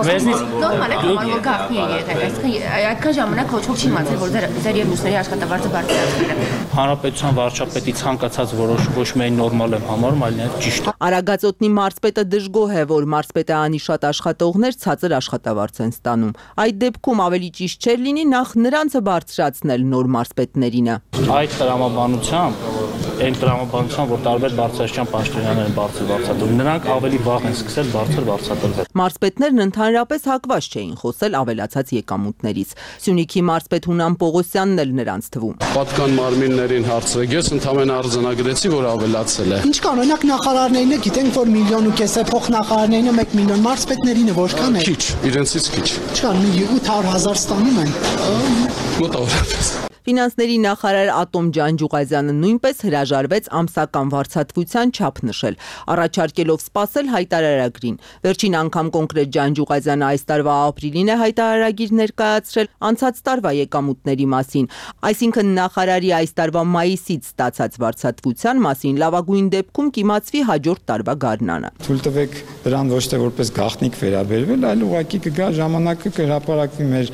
[SPEAKER 19] Մեզնից նորմալ է որ գաղտնի է եղել, այսինքն այդքան ժամանակ ոչ ոք չի իմացել, որ ձեր ձեր եւ մյուսների աշխատավարձը բարձրացվել է։
[SPEAKER 12] Հանրապետության վարչապետի ցանկացած որոշում ոչ միայն նորմալ եմ համարում, այլ նաեւ ճիշտ։
[SPEAKER 8] Արագածոտնի մարզպետը դժգոհ է, որ մարզպետը անի շատ աշխատողներ ցածր աշխատավարձ են ստանում։ Այդ դեպքում ավելի ճիշտ չէր լինի նախ նրանցը բարձրացնել նոր մարզպետներինը։
[SPEAKER 12] Այդ տրամաբանությամբ այն տրամաբանության, որ տարբեր բարձրաստիճան պաշտոնյաներ են բարձր վարձատրում, նրանք ավելի վաղ են սկսել բարձր վարձատրվել։
[SPEAKER 8] Մարզպետներն ընդհանրապես հակված չէին խոսել ավելացած եկամուտներից։ Սյունիքի մարզպետ Հունան Պողոսյանն էլ նրանց թվում։
[SPEAKER 10] Պատկան մարմիններին հարցրեք, ես ընդհանրապես արձանագրեցի, որ ավելացել է։
[SPEAKER 11] Ինչ կան, օրինակ նախարարներինը գիտենք, որ միլիոն ու կես է, փոխնախարարներինը մեկ միլիոն, մարզպետներինը որքան է։
[SPEAKER 10] Քիչ, իրենցից քիչ։
[SPEAKER 11] Չկան, մի ութ հարյուր հազար ստանում են։
[SPEAKER 10] Մոտավորապես։
[SPEAKER 8] Ֆինանսների նախարար Ատոմ Ջանջուղազյանը նույնպես հրաժարվեց ամսական վարձատրության չափ նշել, առաջարկելով սպասել հայտարարագրին։ Վերջին անգամ կոնկրետ Ջանջուղազյանը այս տարվա ապրիլին է հայտարարագիր ներկայացրել անցած տարվա եկամուտների մասին, այսինքն նախարարի այս տարվա մայիսից ստացած վարձատրության մասին լավագույն դեպքում կիմացվի հաջորդ տարվա գարնանը։
[SPEAKER 14] Թույլ տվեք դրան ոչ թե որպես գաղտնիք վերաբերվել, այլ ուղղակի կգա ժամանակը կհրապարակվի մեր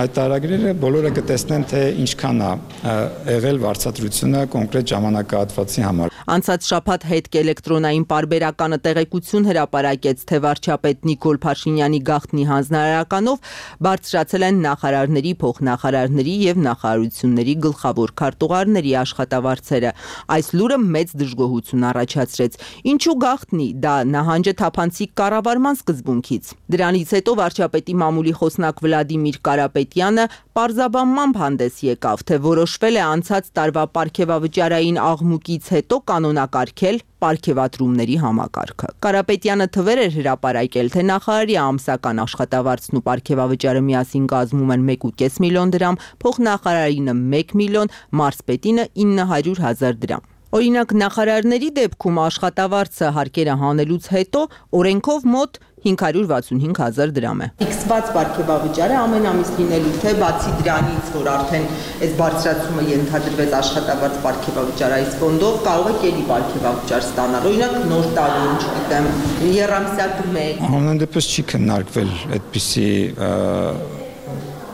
[SPEAKER 14] հայտարարագրերը, բոլորը կտեսնեն, թե ինչքան եղել վարձատրությունը կոնկրետ ժամանակահատվածի համար։
[SPEAKER 8] Անցած շաբաթ հետք էլեկտրոնային պարբերականը տեղեկություն հրապարակեց, թե վարչապետ Նիկոլ Փաշինյանի գաղտնի հանձնարարականով բարձրացել են նախարարների, փոխնախարարների եւ նախարարությունների գլխավոր քարտուղարների աշխատավարձերը։ Այս լուրը մեծ դժգոհություն առաջացրեց։ Ինչու գաղտնի, դա նահանջ է թափանցիկ կառավարման սկզբունքից։ Դրանից հետո վարչապետի մամուլի խոսնակ Վլադիմիր Կարապետյանը պարզաբանմամբ հանդես եկավ, թե որոշվել է անցած տարվա պարգևավճարային աղմուկից հետո կանոնակարգել պարգևատրումների համակարգը։ Կարապետյանը թվեր էր հրապարակել, թե նախարարի ամսական աշխատավարձն ու պարգևավճարը միասին կազմում են մեկ ու կես միլիոն դրամ, փոխնախարարինը մեկ միլիոն, մարզպետինը ինը հարյուր հազար դրամ։ Օրինակ նախարարների դեպքում աշխատավարձը հարկերը հանելուց հետո օրենքով մոտ հինգ հարյուր վաթսունհինգ հազար դրամ է։ Ֆիքսված պարգևավճարը ամեն ամիս լինելու թե բացի դրանից, որ արդեն այս բարձրացումը ենթադրվեց աշխատավարձ պարգևավճար այս ֆոնդով, կարող եք ելի պարգևավճար ստանալ։ Օրինակ նոր տարի, չգիտեմ, եռամսյակ մեկ։ Ամեն դեպս չի քննարկվել այդպիսի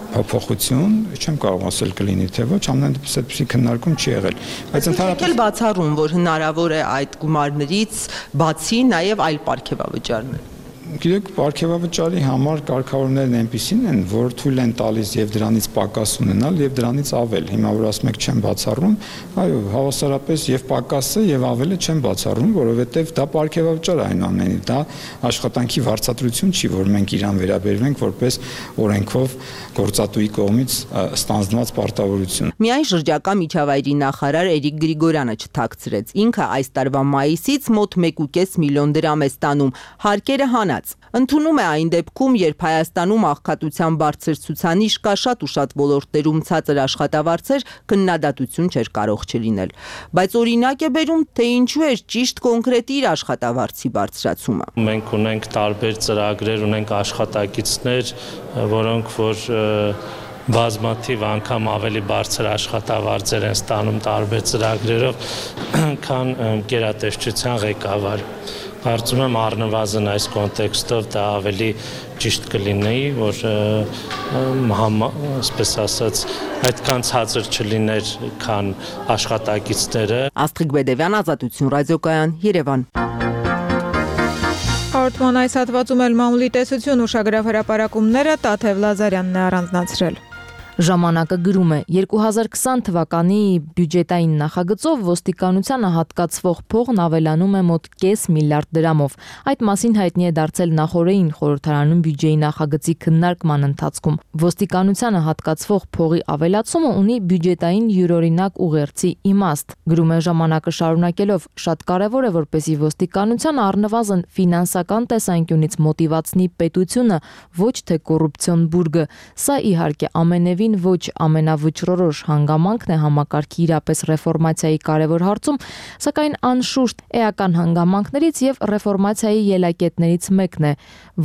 [SPEAKER 8] փոփոխություն, չեմ կարող ասել կլինի թե ոչ, ամեն դեպս այդպիսի քննարկում չի եղել։ Բայց ընդհանրապես բացառում, որ հնարավոր է այդ գումարներից բացի նաև այլ պարգևավճարներ։ Գիտեք, պարգևավճարի համար կարգավորումներն այնպիսին են, որ թույլ են տալիս եւ դրանից պակաս ունենալ եւ դրանից ավել։ Հիմա որ ասում եք չեմ բացառում, այո, հավասարապես եւ պակասը եւ ավելը չեմ բացառում, որովհետեւ դա պարգևավճար է այնուամենայնիվ, դա աշխատանքի վարձատրություն չի, որ մենք իրան վերաբերվենք որպես օրենքով գործատուի կողմից ստանձնված պարտավորություն։ Միայն շրջակա միջավայրի նախարար Էրիկ Գրիգորյանը չթաքցրեց։ Ինքը այս տարվա մայիսից մոտ մեկ ու կես միլիոն դրամ է ստանում, հարկերը հանած։ Ընդունում է այն դեպքում, երբ Հայաստանում աղքատության բարձր ցուցանիշ կա, շատ ու շատ ոլորտներում ցածր աշխատավարձեր, քննադատություն չէր կարող չլինել։ Բայց օրինակ է բերում, թե ինչու էր ճիշտ կոնկրետ իր աշխատավարձի բարձրացումը։
[SPEAKER 12] Մենք ունենք տարբեր ծրագրեր, ունենք աշխատակիցներ, որոնք որ բազմաթիվ անգամ ավելի բարձր աշխատավարձեր են ստանում տարբեր ծրագրերով, քան գերատեսչության ղեկավար։ Կարծում եմ առնվազն այս կոնտեքստով դա ավելի ճիշտ կլինի, որ այսպես ասած այդքան ցածր չլիներ, քան աշխատակիցները։ Աստղիկ Բեդևյան, Ազատություն ռադիոկայան, Երևան։
[SPEAKER 1] Հաղորդման այս հատվածում էլ մամուլի տեսություն ուշագրավ հրապարակումները Տաթև Լազարյանն է առանձնացրել։
[SPEAKER 5] Ժամանակը գրում է երկու հազար քսան թվականի բյուջետային նախագծով ոստիկանությանը հատկացվող փողն ավելանում է մոտ կես միլիարդ դրամով։ Այդ մասին հայտնի է դարձել նախորդին խորհրդարանում բյուջեի նախագծի քննարկման ընթացքում։ Ոստիկանությանը հատկացվող փողի ավելացումը ունի բյուջետային յուրօրինակ ուղերձի իմաստ։ Գրում է ժամանակը շարունակելով, շատ կարևոր է, որպեսզի ոստիկանությանը առնվազն ֆինանսական տեսանկյունից մոտիվացնի պետությունը, ոչ թե կոռուպցիոն բուրգը։ Սա իհարկե ամենևին ոչ ամենավճռորոշ հանգամանքն է համակարգի իրապես ռեֆորմացիայի կարևոր հարցում, սակայն անշուշտ էական հանգամանքներից եւ ռեֆորմացիայի ելակետներից մեկն է,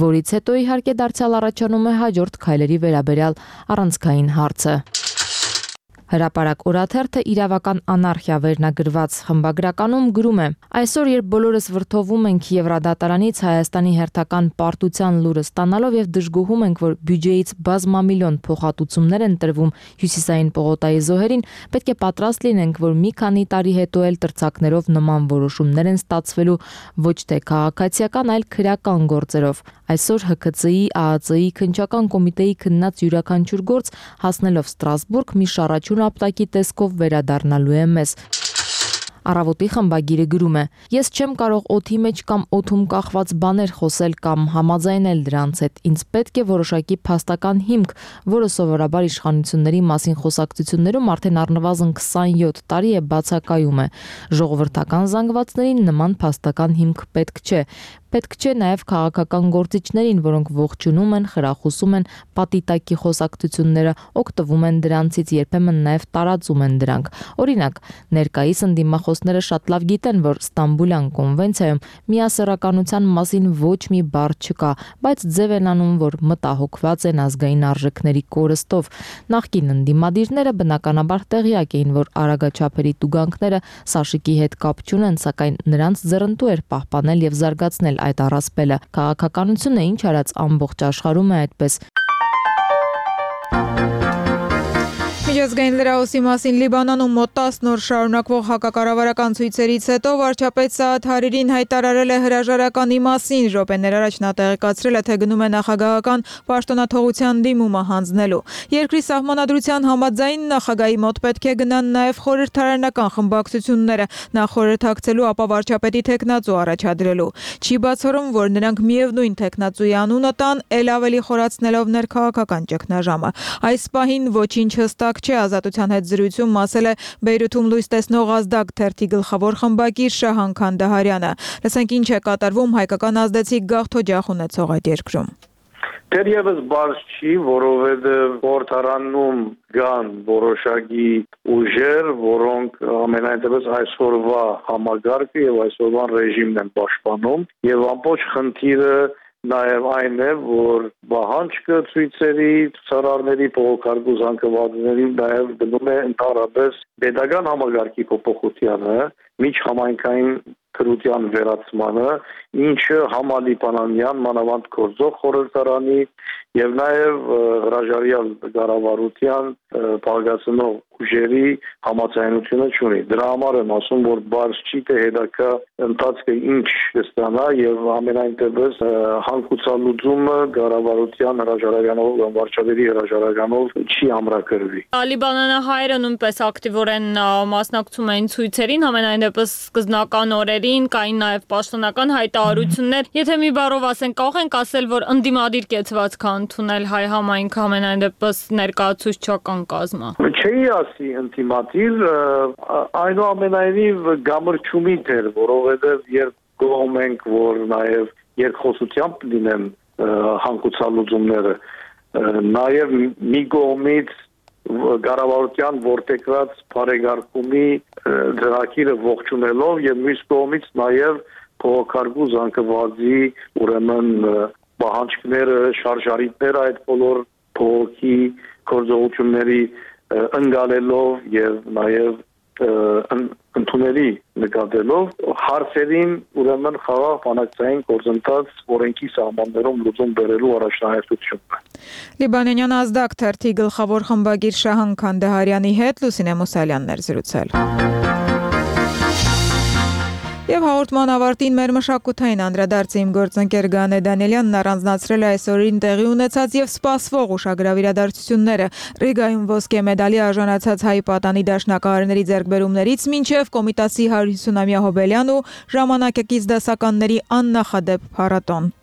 [SPEAKER 5] որից հետո իհարկե դարձյալ առաջանում է հաջորդ քայլերի վերաբերյալ առանցքային հարցը։ Հրապարակ օրաթերթը իրավական անարխիա վերնագրված խմբագրականում գրում է. Այսօր, երբ բոլորս վրդովում ենք Եվրադատարանից Հայաստանի հերթական պարտության լուրը ստանալով եւ դժգոհում ենք, որ բյուջեից բազմամիլիոն փոխհատուցումներ են տրվում հյուսիսային պողոտայի զոհերին, պետք է պատրաստ լինենք, որ մի քանի տարի հետո էլ տրցակներով նման որոշումներ են ստացվելու ոչ թե քաղաքացիական, այլ քրեական գործերով։ Այսօր Հ K C-ի, A A C-ի քննչական կոմիտեի քննած յուրաքանչյուր գործ հասնելով Ստրասբուրգ մի շարաչուն ապտակի տեսքով վերադառնալու է մեզ։
[SPEAKER 9] Առավոտի խմբագիրը գրում է. «Ես չեմ կարող օդի մեջ կամ օդում կախված բաներ խոսել կամ համաձայնել դրանց հետ։ Ինձ պետք է որոշակի փաստական հիմք, որը սովորաբար իշխանությունների մասին խոսակցություններում արդեն առնվազն քսանյոթ տարի է բացակայում է։ Ժողովրդական զանգվածներին նման փաստական հիմք պետք չէ։ Պետք չէ նաև քաղաքական գործիչներին, որոնք ողջունում են, խրախուսում են պատիտակի խոսակցությունները, օգտվում են դրանցից, երբեմն նաև տարածում են դրանք։ Օրինակ, ներկայիս ընդդիմախոսները շատ լավ գիտեն, որ Ստամբուլյան կոնվենցիայում միասեռականության մասին ոչ մի բառ չկա, բայց ձև են անում, որ մտահոգված են ազգային արժեքների կորստով։ Նախկին ընդդիմադիրները բնականաբար տեղյակ էին, որ արագաչափերի տուգանքները Սաշիկի հետ կապ չունեն, սակայն նրանց ձեռնտու էր պահպանել եւ զարգացնել այդ առասպելը։ Քաղաքականությունը ինչ արած ամբողջ աշխարհում է այդպես։
[SPEAKER 1] Միջազգային լրահոսի մասին Լիբանանում մոտ տասն օր շարունակվող հակակառավարական ցույցերից հետո վարչապետ Սաադ Հարիրին հայտարարել է հրաժարականի մասին։ Րոպեներ առաջ նա տեղեկացրել է, թե գնում է նախագահական պաշտոնաթողության դիմումը հանձնելու։ Երկրի սահմանադրության համաձայն նախագահի մոտ պետք է գնան նաև խորհրդարանական խմբակցությունները, նա խորհրդակցելու, ապա վարչապետի թեկնածու առաջադրելու։ Չի բացառում, որ նրանք միևնույն թեկնածուի անունը տան, ել ավելի խորացնելով ներքաղաքական ճգնաժամը։ Այս պահին ոչինչ հստակ չէ, Ազատության հետ զրույցում ասել է Բեյրութում լույս տեսնող Ազդակ թերթի գլխավոր խմբագիր Շահան Քանդահարյանը։ Լսենք ինչ է կատարվում հայկական ազդեցիկ գաղթօջախ ունեցող այդ երկրում։
[SPEAKER 13] Դեռևս բարձ չի, որովհետև խորհրդարանում կան որոշակի ուժեր, որոնք ամենայնտեղս այսօրվա համագարկը եւ այսօրվա ռեժիմն են պաշտպանում, եւ ամբողջ խնդիրը նաև այն է, որ բահանջը ցույցերի, ցուցարարների, փողոքարկու զանգվածների նաև գնում է ընդհանրապես pedagogan համագարկի փոփոխությանը, միջհամայնքային քրության վերացմանը, ինչը համալիբանանյան մանավանդ գործող խորհրդարանի եւ նաև հրաժարյալ կառավարության բաղկացնող ուժերի համաձայնությունը չունի։ Դրա համար եմ ասում, որ բարձ չի թե հետագա ընթացքը ինչ կստանա եւ ամենայնտեղս հանգուցալուծումը կառավարության հրաժարականով կամ վարչապետի հրաժարականով չի ամրագրվի։
[SPEAKER 15] Լիբանանահայերը նույնպես ակտիվորեն մասնակցում էին ցույցերին, ամենայնտեղս սկզբնական օրերին կային նաև պաշտոնական հայտարարություններ։ Եթե մի բառով ասենք, կարող ենք ասել, որ ընդդիմադիր կեցվածք ընդունել հայ համայնքը ամենայնտեղս ներկայացուցչական կազմը։
[SPEAKER 13] Չի ասի ընդդիմադիր, այնուամենայնիվ գամրջումիտ էր, որովհետև երբ գոհում ենք, որ նաև երկխոսությամբ լինեն հանգուցալուծումները, նաև մի կողմից կառավարության ворտեկրած բարեկարգումի ծրագիրը ողջունելով եւ մյուս կողմից նաև փողոքարկու զանգվածի ուրեմն պահանջները, շարժարիտները այդ բոլոր փողոքի գործողությունների ընկալելով եւ նաեւ ընդունելի նկատելով հարցերին ուրեմն խաղաղ բանակցային գործընթաց օրենքի սահմաններում լուծում բերելու առաջնահերթությունն է։
[SPEAKER 1] Լիբանանյան Ազդակ թերթի գլխավոր խմբագիր Շահան Քանդահարյանի հետ Լուսինե Մուսալյանն էր զրուցել։ Եվ հաղորդման ավարտին մեր մշակութային անդրադարձը իմ գործընկեր Գանե Դանիելյանն առանձնացրել է այսօրին տեղի ունեցած եւ սպասվող ուշագրավ իրադարձությունները։ Ռիգայում ոսկե մեդալի արժանացած հայ պատանի դաշնակահարների ձեռքբերումներից մինչեւ Կոմիտասի հարյուր ութսունամյա հոբելյան ու ժամանակակից դասականների աննախադեպ փառատոն։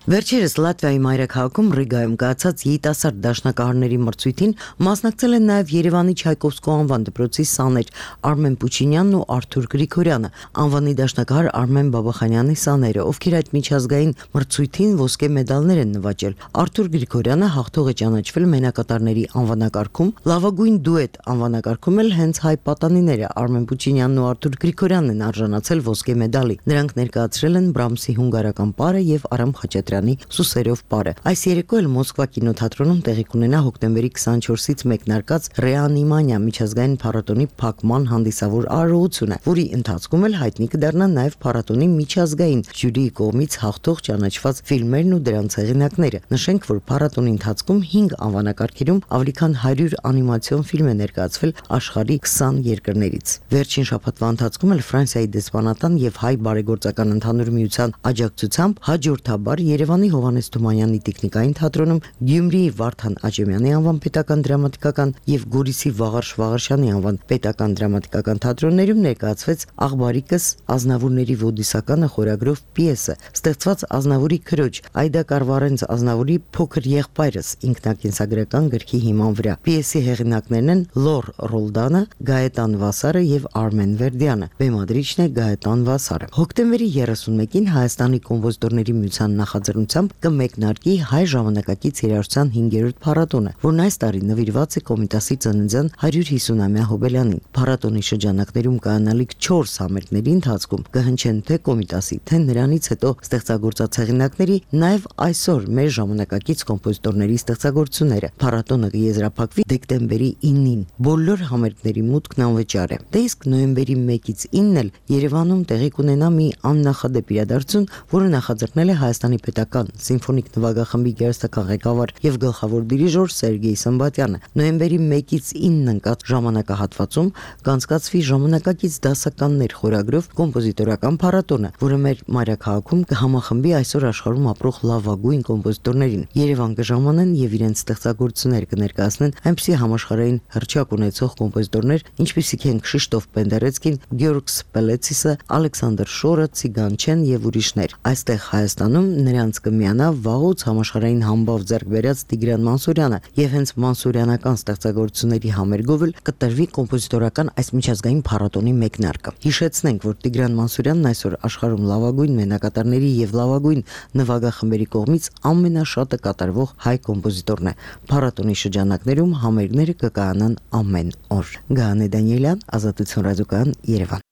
[SPEAKER 16] Վերջերս Լատվիայի մայրաքաղաքում Ռիգայում կայացած երիտասարդ դաշնակահարների մրցույթին մասնակցել են նաև Երևանի Չայկովսկու անվան դպրոցի սաներ Արմեն Պուչինյանն ու Արթուր Գրիգորյանը, անվանի դաշնակահար Արմեն Բաբախանյանի սաները, ովքեր այդ միջազգային մրցույթին ոսկե մեդալներ են նվաճել։ Արթուր Գրիգորյանը հաղթող է ճանաչվել մենակատարների անվանակարգում, լավագույն դուետ անվանակարգում էլ հենց հայ պատանիները Արմեն Պուչինյանն ու Արթուր Գրիգորյանն են արժանացել ոսկե մեդալի։ Նրանք ներկայացրել են Բրամսի հունգարական պարը եւ Արամ Խաչատրյանի Սուսերով պարը։ Այս երեկո էլ Մոսկվա կինոթատրոնում տեղի կունենա հոկտեմբերի քսանչորսից մեկնարկած Ռեանիմանիա միջազգային փառատոնի փակման հանդիսավոր արարողությունը, որի ընթացքում էլ հայտնի կդառնան նաև փառատոնի միջազգային ժյուրիի կողմից հաղթող ճանաչված ֆիլմերն ու դրանց հեղինակները։ Նշենք, որ փառատոնի ընթացքում հինգ անվանակարգերում ավելի քան հարյուր անիմացիոն ֆիլմ է ներկայացվել աշխարհի քսան երկրներից։ Վերջին շաբաթվա ընթացքում էլ Ֆրանսիայի դեսպանատան եւ հայ բարեգործական ընդհանուր միության աջակցությամբ հաջորդաբար Երևանի Հովհաննես Թումանյանի տեխնիկային թատրոնում, Գյումրիի Վարդան Աճեմյանի անվան պետական դրամատիկական եւ Գորիսի Վաղարշ Վաղարշյանի անվան պետական դրամատիկական թատրոններում ներկայացվեց Աղբարիկս Ազնավուրների ոդիսականը խորագրով պիեսը, ստեղծված Ազնավուրի քրոջ Այդա Կարվարենց Ազնավուրի փոքր եղբայրս ինքնակենսագրական գրքի հիման վրա։ Պիեսի հեղինակներն են Լոր Ռոլդանը, Գայետան Վասարը եւ Արմեն Վերդյանը։ Բեմադրիչն է Գայետան Վասարը։ Հոկտեմբերի երեսունմեկին Հայաստանի կոմպոզիտորների միության նախաձեռնությամբ կմեկնարկի հայ ժամանակակից երաժշտության հինգերորդ փառատոնը, որն այս տարի նվիրված է Կոմիտասի ծննդյան հարյուր հիսունամյա հոբելյանին։ Փառատոնի շրջանակներում կայանալիք չորս համերգների ընթացքում կհնչեն թե Կոմիտասի, թե նրանից հետո ստեղծագործած հեղինակների, նաև այսօր մեր ժամանակակից կոմպոզիտորների ստեղծագործությունները։ Փառատոնը կեզրափակվի դեկտեմբերի ինին։ Բոլոր համերգների մուտքն անվճար է։ Դե իսկ նոյեմբերի մեկից ինն էլ Երևանում տեղի կունենա մի աննախադեպ իրադարձություն, որը նախաձեռնել է Հայաստանի պետական սիմֆոնիկ նվագախմբի գերստական ղեկավար եւ գլխավոր դիրիժոր Սերգեյ Սմբատյանը։ Նոյեմբերի մեկից ինն ընկած ժամանակահատվածում կանցկացվի ժամանակակից դասականներ խորագրով կոմպոզիտորական փառատոնը, որը մեր մայրաքաղաքում կհամախմբի այսօր աշխարհում ապրող լավագույն կոմպոզիտորներին։ Երևան կժամանեն եւ իրենց ստեղծագործություններ կներկայացնեն այնպիսի համաշխարհային հռչակ ունեցող կոմպոզիտորներ, ինչպիսիք են Քշիշտոֆ Պենդերեցկին, Գյորգ Սպելեցիսը, Ալեքսանդր Շորը, Ցիգանչեն եւ ուրիշներ։ Այստեղ Հայաստանում նրանց կմիանա վաղուց համաշխարհային համբավ ձեռք բերած Տիգրան Մանսուրյանը եւ հենց մանսուրյանական ստեղծագործությունների համերգով էլ կտրվի կոմպոզիտորական այս միջազգային փառատոնի մեկնարկը։ Հիշեցնենք, որ Տիգրան Մանսուրյանն այսօր աշխարհում լավագույն մենակատարների եւ լավագույն նվագախմբերի կողմից ամենաշատը կատարվող հայ կոմպոզիտորն է։ Փառատոնի շրջանակներում համերգները կկայանան ամեն օր։ Գայանե Դանիելյան, Ազատություն ռադիոկայան, Երևան։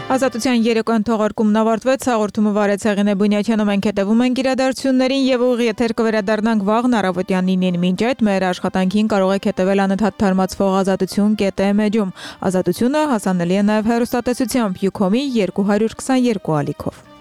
[SPEAKER 1] Ազատության երեկոյան թողարկումն ավարտվեց, հաղորդումը վարեց Հեղինե Բունյաթյանը, մենք հետևում ենք իրադարձություններին եւ ուղիղ եթեր կվերադառնանք վաղն առավոտյան նինին։ Մինչ այդ մեր աշխատանքին կարող եք հետևել անընդհատ թարմացվող ազատություն կետ էմ էջում։ Ազատությունը հասանելի է նաեւ հեռուստատեսությամբ Յուքոմի երկու հարյուր քսաներկու ալիքով։